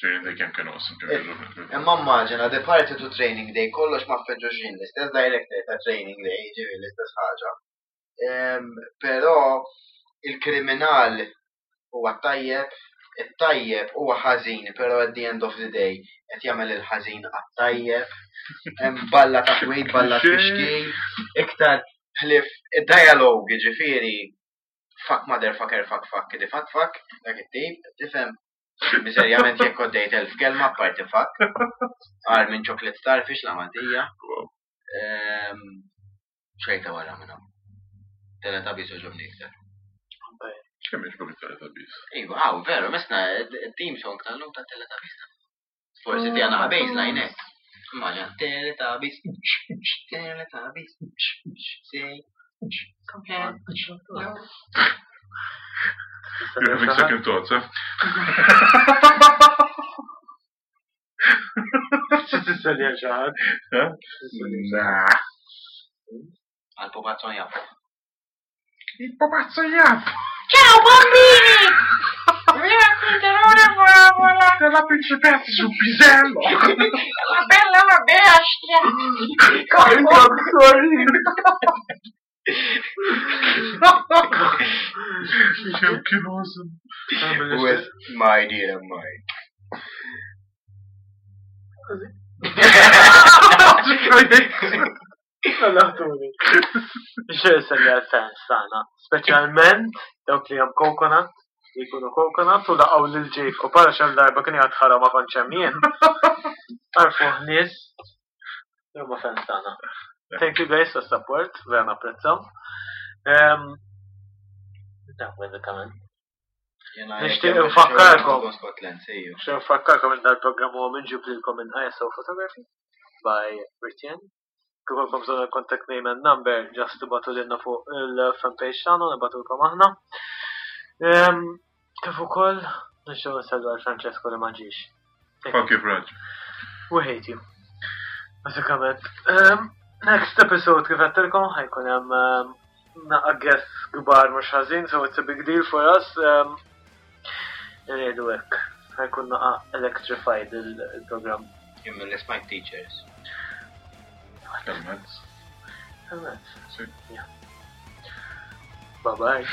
Training Day kemm kienu awesome, kemm kienu. imma immaġina Departed u Training Day kollox ma feġġuxin l-istess director ta' Training Day, ġifieri l-istess ħaġa. Però il-kriminal huwa tajjeb, it-tajjeb huwa ħażin, però at the end of the day qed jagħmel il-ħażin għat-tajjeb. Hemm balla ta' kwid, balla tfixkil, iktar ħlif id-dialogue ġifieri fuck motherfucker, fuck fuck, kidi fuck fuck, dak it-tip, tifhem. Miserjament jekk għoddejt elf kelma apparti fuck. Għar minn chocolate starfish la Maltija. Xejta wara minnhom. Teletubbies oġobni iktar. Kemm jogħġbok it-Teletubbies? Iva, għaw, veru, misna team song tal-lum ta' Teletubbies. Forsi ti għana baseline, eh. Immaġina, Teletubbies, Teletubbies, say, come here. You're having second thoughts, eh? X'tisselja xi ħadd? Eh? Nah. Għal-pupazzo jafu. Il pupazzo jaf! Ciao bambini! Vi racconterò una favola. Della principessa sul pisello! La bella e la bestia. I'm sorry! Kemm kienu awesome. With my dear mine. Laħtuni. Xejn selli għal-fans tagħna, speċjalment dawk li hemm coconut, li jkunu coconut u laqgħu lil Jake u para xemm darba kien jgħid ħara ma kontx hemm jien. Għarfuh nies li huma fans tagħna. Thank you guys for support, vera napprezzaw. Dak bażikament. Jena Nixtieq infakkarkom. Scotland, sejju. Nixtieq nfakkarkom li dal-programm huwa minġib lilkom minn ISO Photography by Ritjen. Kif għandkom bżonn il-contact name and number, just tibatu lilna fuq il-fanpage tagħna u nibatulkom aħna. Ehm, Kif ukoll nixtieq nsellu għal Francesco li ma ġiex. Fuck you, Franċ. We hate you. Bażikament. Ehm, Next episode kif għedtilkom ħa jkun hemm ehm, naqa guests kbar mhux ħażin, so it's a big deal for us. Ehm, Irridu hekk. Ħa jkun naqa electrified il-programm. Jien mill smajt teachers. Helmets. Helmets. Si. Bye bye.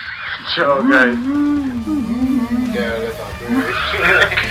Ciao guys. Yeah, that's all.